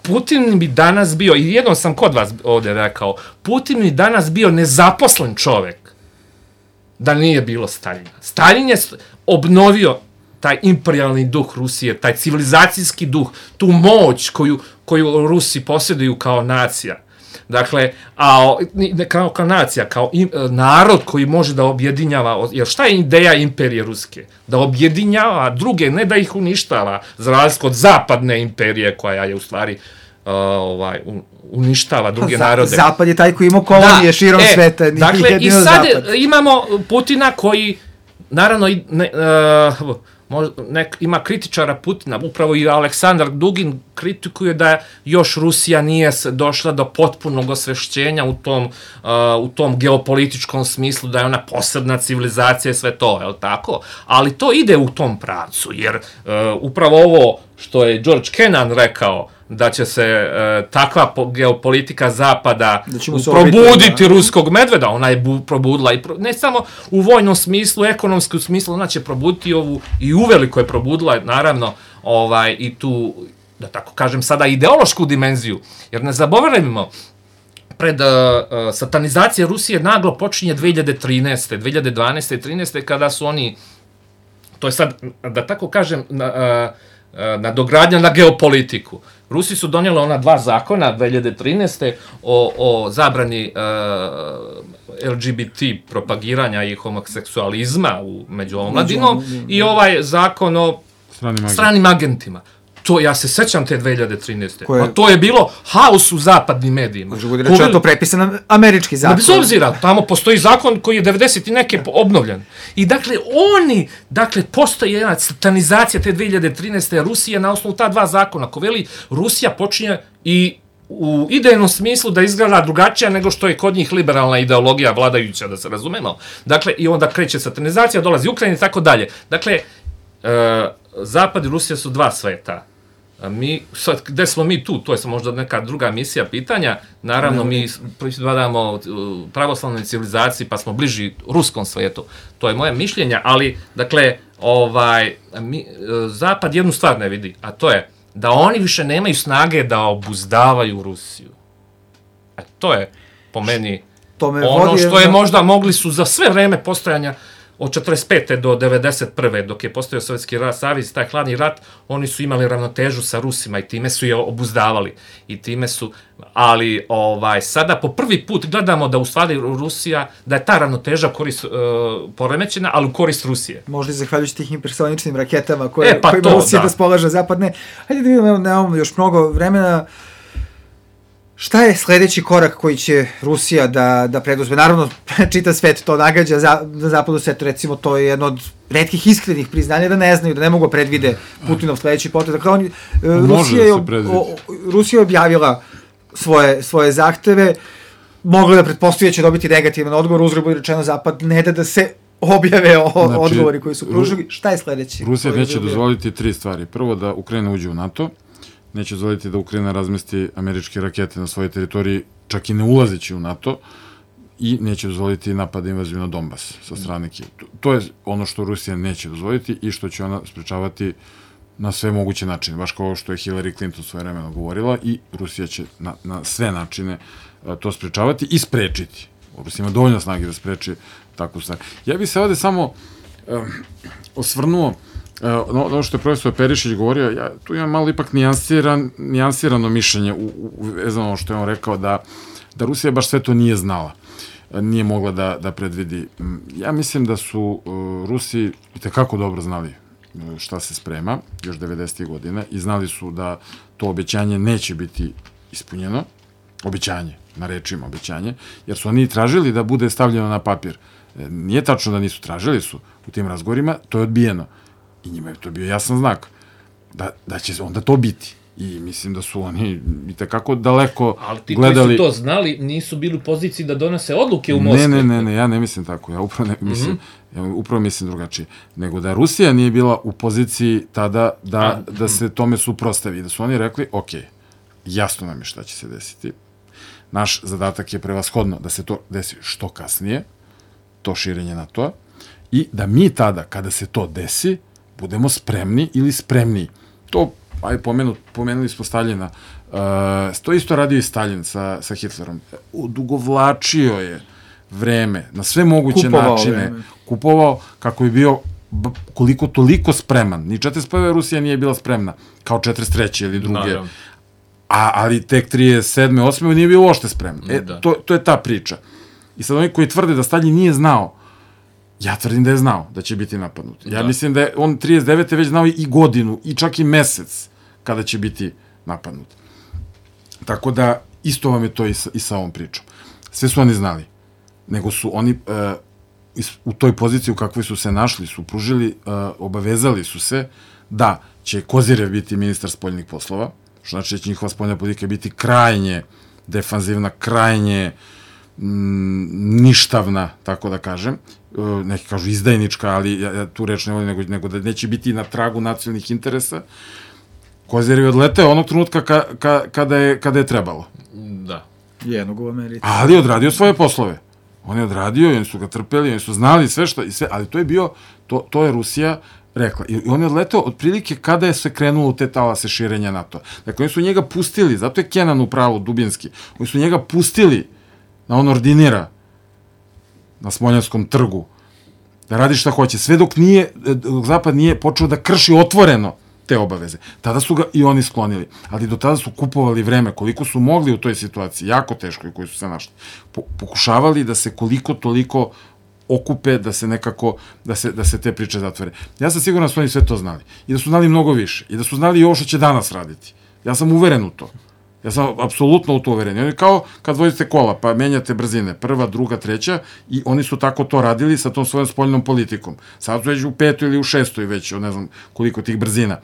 S6: Putin bi danas bio, i jednom sam kod vas ovdje rekao, Putin bi danas bio nezaposlen čovek da nije bilo Staljina. Staljin je obnovio taj imperialni duh Rusije, taj civilizacijski duh, tu moć koju, koju Rusi posjeduju kao nacija. Dakle, a kao, kao nacija, kao im, narod koji može da objedinjava, jer šta je ideja imperije ruske? Da objedinjava druge, ne da ih uništava, za razliku od zapadne imperije koja je u stvari Uh, ovaj, uništava druge
S3: Za,
S6: narode.
S3: Zapad je taj koji ima kolonije da, širom
S6: e,
S3: sveta.
S6: Dakle, i sad zapad. Imamo Putina koji, naravno, ne, uh, možda, nek, ima kritičara Putina, upravo i Aleksandar Dugin kritikuje da još Rusija nije došla do potpunog osvešćenja u tom, uh, u tom geopolitičkom smislu, da je ona posebna civilizacija i sve to, je li tako? Ali to ide u tom pravcu, jer uh, upravo ovo što je George Kennan rekao, da će se e, takva po, geopolitika zapada probuditi da. ruskog medveda, ona je bu, probudila, i pro, ne samo u vojnom smislu, ekonomskom smislu, ona će probuditi ovu, i uveliko je probudila, naravno, ovaj, i tu, da tako kažem, sada ideološku dimenziju, jer ne zaboravimo, pred uh, satanizacija Rusije naglo počinje dve hiljade trinaeste, dve hiljade dvanaeste i trinaeste, kada su oni, to je sad, da tako kažem, na, uh, nadogradnja na geopolitiku. Rusi su donijeli ona dva zakona dve hiljade trinaeste o, o zabrani uh, L G B T propagiranja i homoseksualizma u, među omladinom i ovaj zakon o stranim, stranim agentima. To, ja se sećam te dve hiljade trinaeste. Koje... A to je bilo haos u zapadnim medijima.
S3: Može reći, je to prepisan američki zakon.
S6: Bez obzira, tamo postoji zakon koji je devedeset i neke obnovljen. I dakle, oni, dakle, postoji jedna satanizacija te dve hiljade trinaeste. Rusija na osnovu ta dva zakona. Ko veli, Rusija počinje i u idejnom smislu da izgleda drugačija nego što je kod njih liberalna ideologija vladajuća, da se razumemo. Dakle, i onda kreće satanizacija, dolazi Ukrajina i tako dalje. Dakle, e, Zapad i Rusija su dva sveta. A mi, sad, gde smo mi tu? To je možda neka druga misija pitanja. Naravno, mi pripadamo pravoslavnoj civilizaciji, pa smo bliži ruskom svetu. To je moje mišljenje, ali, dakle, ovaj, mi, Zapad jednu stvar ne vidi, a to je da oni više nemaju snage da obuzdavaju Rusiju. A to je, po meni, to me ono što je možda mogli su za sve vreme postojanja od četrdeset pete do devedeset prve dok je postojao Sovjetski savez, taj hladni rat, oni su imali ravnotežu sa Rusima i time su je obuzdavali. I time su, ali ovaj, sada po prvi put gledamo da u stvari Rusija, da je ta ravnoteža korist, uh, poremećena, ali u korist Rusije.
S3: Možda i zahvaljujući tih hipersoničnim raketama koje, e, pa kojima to, Rusija da. raspolaže zapadne. Hajde da vidimo, nemamo još mnogo vremena. Šta je sledeći korak koji će Rusija da, da preduzme? Naravno, čita svet to nagađa, za, za zapadu svetu, recimo, to je jedno od retkih iskrenih priznanja da ne znaju, da ne mogu predvide Putinov sledeći potez. Dakle, oni, Rusija, je, o, Rusija je objavila svoje, svoje zahteve, mogla da pretpostavlja će dobiti negativan odgovor, uzgled bude rečeno, Zapad ne da da se objave o znači, odgovori koji su pružili. Šta je sledeći?
S5: Rusija neće dozvoliti tri stvari. Prvo, da Ukrajina uđe u NATO, neće dozvoliti da Ukrajina razmesti američke rakete na svojoj teritoriji, čak i ne ulazeći u NATO, i neće dozvoliti napad invaziju na Donbas sa strane Kijeva. To je ono što Rusija neće dozvoliti i što će ona sprečavati na sve moguće načine, baš kao što je Hillary Clinton svoje vremeno govorila, i Rusija će na, na sve načine to sprečavati i sprečiti. Rusija ima dovoljno snage da spreči takvu stvar. Ja bih se ovde samo um, osvrnuo no, ono što je profesor Perišić govorio, ja tu imam malo ipak nijansiran, nijansirano mišljenje u, u vezano što je on rekao da, da Rusija baš sve to nije znala, nije mogla da, da predvidi. Ja mislim da su uh, Rusi itekako dobro znali šta se sprema, još devedesetih godina, i znali su da to obećanje neće biti ispunjeno, obećanje, na rečima obećanje, jer su oni tražili da bude stavljeno na papir. Nije tačno da nisu tražili, su u tim razgovorima, to je odbijeno. I njima je to bio jasan znak da, da će onda to biti. I mislim da su oni i takako daleko gledali...
S6: Ali ti koji su to znali nisu bili u poziciji da donose odluke u Moskvi.
S5: Ne, ne, ne, ne, ja ne mislim tako. Ja upravo, ne, mislim, mm-hmm. ja upravo mislim drugačije. Nego da Rusija nije bila u poziciji tada da, A, da se tome suprostavi. Da su oni rekli, ok, jasno nam je šta će se desiti. Naš zadatak je prevashodno da se to desi što kasnije, to širenje NATO-a, i da mi tada, kada se to desi, budemo spremni ili spremniji. To, aj, pomenu, pomenuli smo Staljina, uh, to isto radio i Stalin sa, sa Hitlerom. Odugovlačio je vreme, na sve moguće kupovao načine, vreme. kupovao kako bi bio koliko toliko spreman. Ni četrdeset prve Rusija nije bila spremna, kao četrdeset treće ili druge. Naravno. A, ali tek trideset sedme osme nije bio uopšte spremno. E, to, to je ta priča. I sad oni koji tvrde da Stalin nije znao, ja tvrdim da je znao da će biti napadnut. Ja da. mislim da je on trideset devete već znao i godinu, i čak i mesec kada će biti napadnut. Tako da, isto vam je to i sa, i sa ovom pričom. Sve su oni znali. Nego su oni e, u toj poziciji u kakvoj su se našli, su pružili, e, obavezali su se da će Kozirev biti ministar spoljnih poslova, što znači da će njihova spoljna politika biti krajnje defanzivna, krajnje m, ništavna, tako da kažem. E, neki kažu izdajnička, ali ja, ja tu reč ne volim, nego, nego da neće biti na tragu nacionalnih interesa. Kozirev je odleteo onog trenutka ka, ka, kada, je, kada je trebalo.
S6: Da.
S3: Jednog u Americi.
S5: Ali je odradio svoje poslove. On je odradio i oni su ga trpeli, oni su znali sve što, i sve, ali to je bio, to, to je Rusija rekla. I on je odletao otprilike kada je se krenulo u te talase širenja NATO. Dakle, oni su njega pustili, zato je Kenan u pravu, Dubinski, oni su njega pustili na on ordinira na Smoljanskom trgu, da radi šta hoće, sve dok nije, dok Zapad nije počeo da krši otvoreno te obaveze. Tada su ga i oni sklonili. Ali do tada su kupovali vreme, koliko su mogli u toj situaciji, jako teško i koji su se našli. Po, pokušavali da se koliko toliko okupe, da se nekako, da se, da se te priče zatvore. Ja sam siguran da su oni sve to znali. I da su znali mnogo više. I da su znali i ovo što će danas raditi. Ja sam uveren u to. Ja sam apsolutno u to uveren. Oni kao kad vozite kola, pa menjate brzine, prva, druga, treća, i oni su tako to radili sa tom svojom spoljnom politikom. Sad su već u petoj ili u šestoj već, ne znam koliko tih brzina.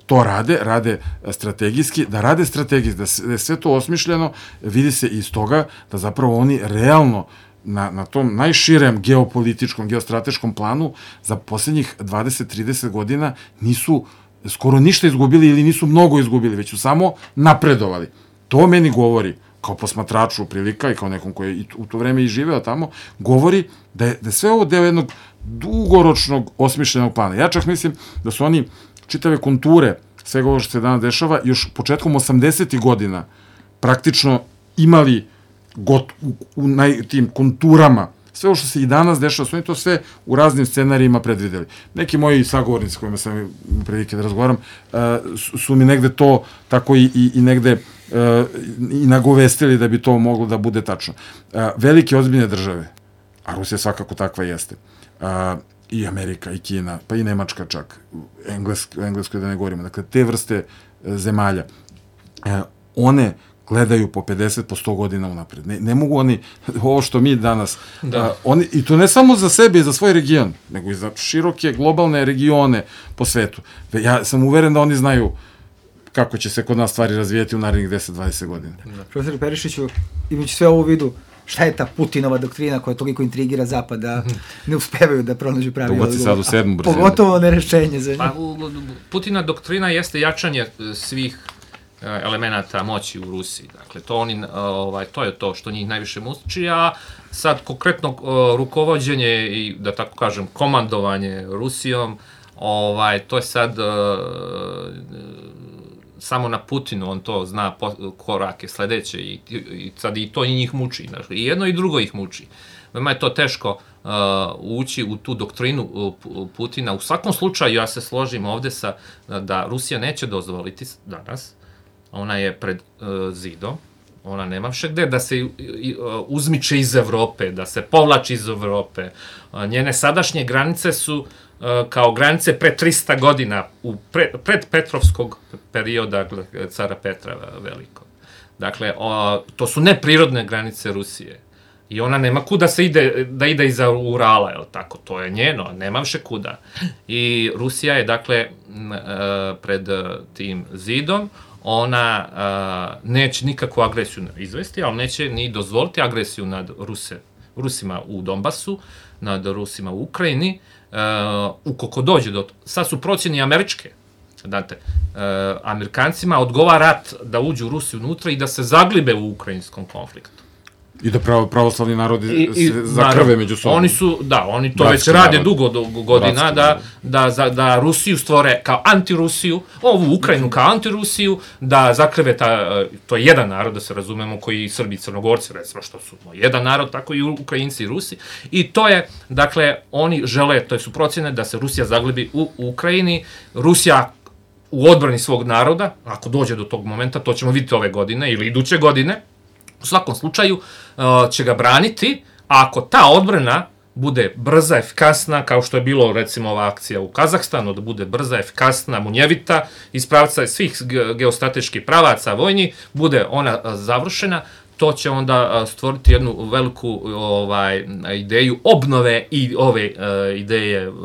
S5: To rade, rade strategijski, da rade strategijski, da je sve to osmišljeno, vidi se iz toga da zapravo oni realno na, na tom najširem geopolitičkom, geostrateškom planu za posljednjih dvadeset trideset godina nisu skoro ništa izgubili ili nisu mnogo izgubili, već su samo napredovali. To meni govori, kao posmatraču prilika i kao nekom koji je u to vreme i živeo tamo, govori da je, da je sve ovo deo jednog dugoročnog osmišljenog plana. Ja čak mislim da su oni čitave konture svega ovo što se danas dešava još početkom osamdesetih godina praktično imali got, u, u naj, tim konturama. Sve ovo što se i danas dešava, su oni to sve u raznim scenarijima predvideli. Neki moji sagovornici kojima sam prilike da razgovaram su, su mi negde to tako i, i, i negde i nagovestili da bi to moglo da bude tačno. Velike ozbiljne države, a Rusija svakako takva jeste, i Amerika, i Kina, pa i Nemačka čak, Englesko, Englesko da ne govorimo, dakle, te vrste zemalja, one gledaju po pedeset, po sto godina unapred. Ne, ne mogu oni, ovo što mi danas, da. a, oni, i to ne samo za sebe i za svoj region, nego i za široke globalne regione po svetu. Ja sam uveren da oni znaju kako će se kod nas stvari razvijeti u narednih deset do dvadeset godina.
S3: Da. Profesor Perišiću, imajući sve ovo u vidu, šta je ta Putinova doktrina koja toliko intrigira Zapad da ne uspevaju da pronađu pravi odgovor?
S5: Sad u sedmu brzinu.
S3: Pogotovo ne rešenje za nju.
S6: Pa, Putina doktrina jeste jačanje svih elemenata moći u Rusiji. Dakle, to, oni, ovaj, to je to što njih najviše muči, a sad konkretno rukovođenje i, da tako kažem, komandovanje Rusijom, ovaj, to je sad samo na Putinu, on to zna korake sledeće i, i sad i to i njih muči. Dakle, i jedno i drugo ih muči. Veoma je to teško uh, ući u tu doktrinu uh, Putina. U svakom slučaju, ja se složim ovde sa, da Rusija neće dozvoliti danas, ona je pred uh, zidom, ona nema više gde da se uh, uzmiče iz Evrope, da se povlači iz Evrope. Uh, njene sadašnje granice su uh, kao granice pre trista godina, u pre, pred Petrovskog perioda cara Petra Velikog. Dakle, uh, to su neprirodne granice Rusije. I ona nema kuda se ide, da ide iza Urala, je li tako? To je njeno, nema više kuda. I Rusija je, dakle, uh, pred tim zidom, ona uh, neće nikakvu agresiju izvesti, ali neće ni dozvoliti agresiju nad Ruse, Rusima u Donbasu, nad Rusima u Ukrajini, uh, ukoliko dođe do... Sad su procjeni američke, znate, uh, Amerikancima odgovara rat da uđu Rusi unutra i da se zaglibe u ukrajinskom konfliktu.
S5: I da pravo, pravoslavni narodi I, se zakrve među sobom.
S6: Oni su, da, oni to Bratski već rade narod. dugo, dugo godina, da, da, da, da Rusiju stvore kao antirusiju, ovu Ukrajinu kao antirusiju, da zakrve ta, to je jedan narod, da se razumemo, koji Srbi i Crnogorci, recimo, što su jedan narod, tako i Ukrajinci i Rusi. I to je, dakle, oni žele, to su procjene da se Rusija zaglibi u Ukrajini. Rusija u odbrani svog naroda, ako dođe do tog momenta, to ćemo vidjeti ove godine ili iduće godine, u svakom slučaju će ga braniti, a ako ta odbrana bude brza, efikasna, kao što je bilo recimo ova akcija u Kazahstanu, da bude brza, efikasna, munjevita, iz pravca svih geostrateških pravaca vojni, bude ona završena, to će onda stvoriti jednu veliku ovaj, ideju obnove i ove uh, ideje uh,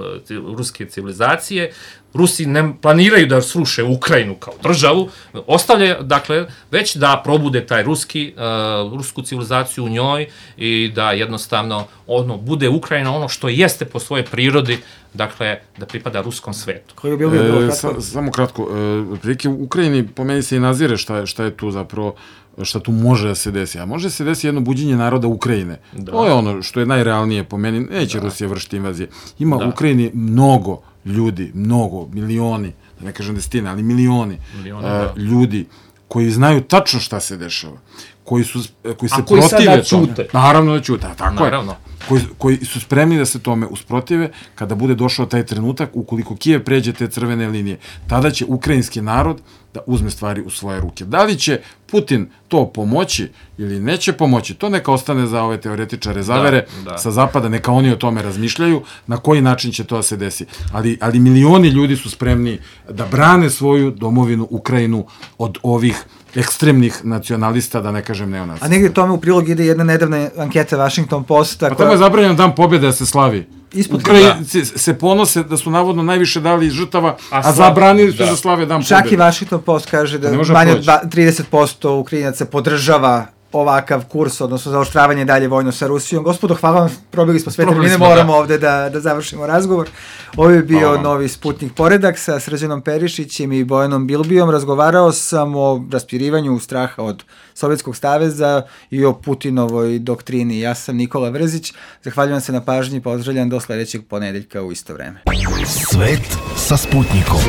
S6: ruske civilizacije. Rusi ne planiraju da sruše Ukrajinu kao državu, ostavljaju, dakle, već da probude taj ruski, uh, rusku civilizaciju u njoj i da jednostavno ono, bude Ukrajina ono što jeste po svojoj prirodi, dakle, da pripada ruskom svetu.
S3: Kolega Bilbio, bilo
S5: e, sa, samo kratko, e, prilike u Ukrajini po meni se i nazire šta, šta je tu zapravo, šta tu može da se desi. A može se desi jedno buđenje naroda Ukrajine. Da. To je ono što je najrealnije po meni. Neće da. Rusija vršiti invazije. Ima da. U Ukrajini mnogo ljudi, mnogo, milioni, da ne kažem desetine, ali milioni Milione, uh, ljudi koji znaju tačno šta se dešava, koji, su, koji se
S6: A koji
S5: protive
S6: tome. Čute.
S5: Naravno da ćute, tako
S6: Naravno.
S5: je. Koji, koji su spremni da se tome usprotive kada bude došao taj trenutak, ukoliko Kijev pređe te crvene linije, tada će ukrajinski narod da uzme stvari u svoje ruke. Da li će Putin to pomoći ili neće pomoći, to neka ostane za ove teoretičare zavere da, da. sa zapada, neka oni o tome razmišljaju, na koji način će to da se desi. Ali, ali milioni ljudi su spremni da brane svoju domovinu Ukrajinu od ovih ekstremnih nacionalista, da ne kažem neonacista.
S3: A negdje tome u prilog ide jedna nedavna anketa Washington Posta.
S5: A koja... tamo je zabranjeno dan pobjede da se slavi.
S3: Ispod
S5: Ukrajinci da. se ponose da su navodno najviše dali žrtava, a, a zabranili su da. da slave dan pobjede.
S3: Čak i Washington Post kaže da manje od trideset posto Ukrajinaca podržava ovakav kurs, odnosno zaoštravanje dalje vojno sa Rusijom. Gospodo, hvala vam, probili smo sve, mi ne moramo da. ovde da, da završimo razgovor. Ovo je bio hvala. Novi Sputnik Poredak sa Srđanom Perišićem i Bojanom Bilbijom. Razgovarao sam o raspirivanju straha od Sovjetskog saveza i o Putinovoj doktrini. Ja sam Nikola Vrzić, zahvaljujem se na pažnji, pozdravljam do sledećeg ponedeljka u isto vreme.
S1: Svet sa Sputnikom.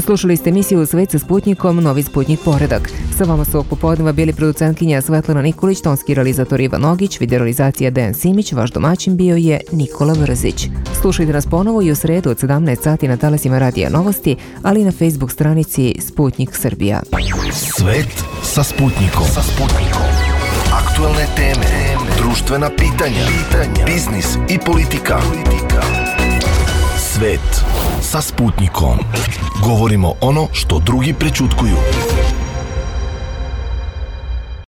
S2: Slušali ste emisiju Svet sa Sputnikom, Novi Sputnik Poredak. Sa vama su ovog popodneva bili producentkinja Svetlana Nikolić, tonski realizator Ivan Ogić, videorealizacija Dejan Simić, vaš domaćin bio je Nikola Vrzić. Slušajte nas ponovo i u sredu od sedamnaest sati na talasima Radija Novosti, ali i na Facebook stranici Sputnik Srbija.
S1: Svet sa Sputnikom. Sa Sputnikom. Aktualne teme, društvena pitanja, pitanja, biznis i politika. politika. Svet sa Sputnikom. Govorimo ono što drugi prećutkuju.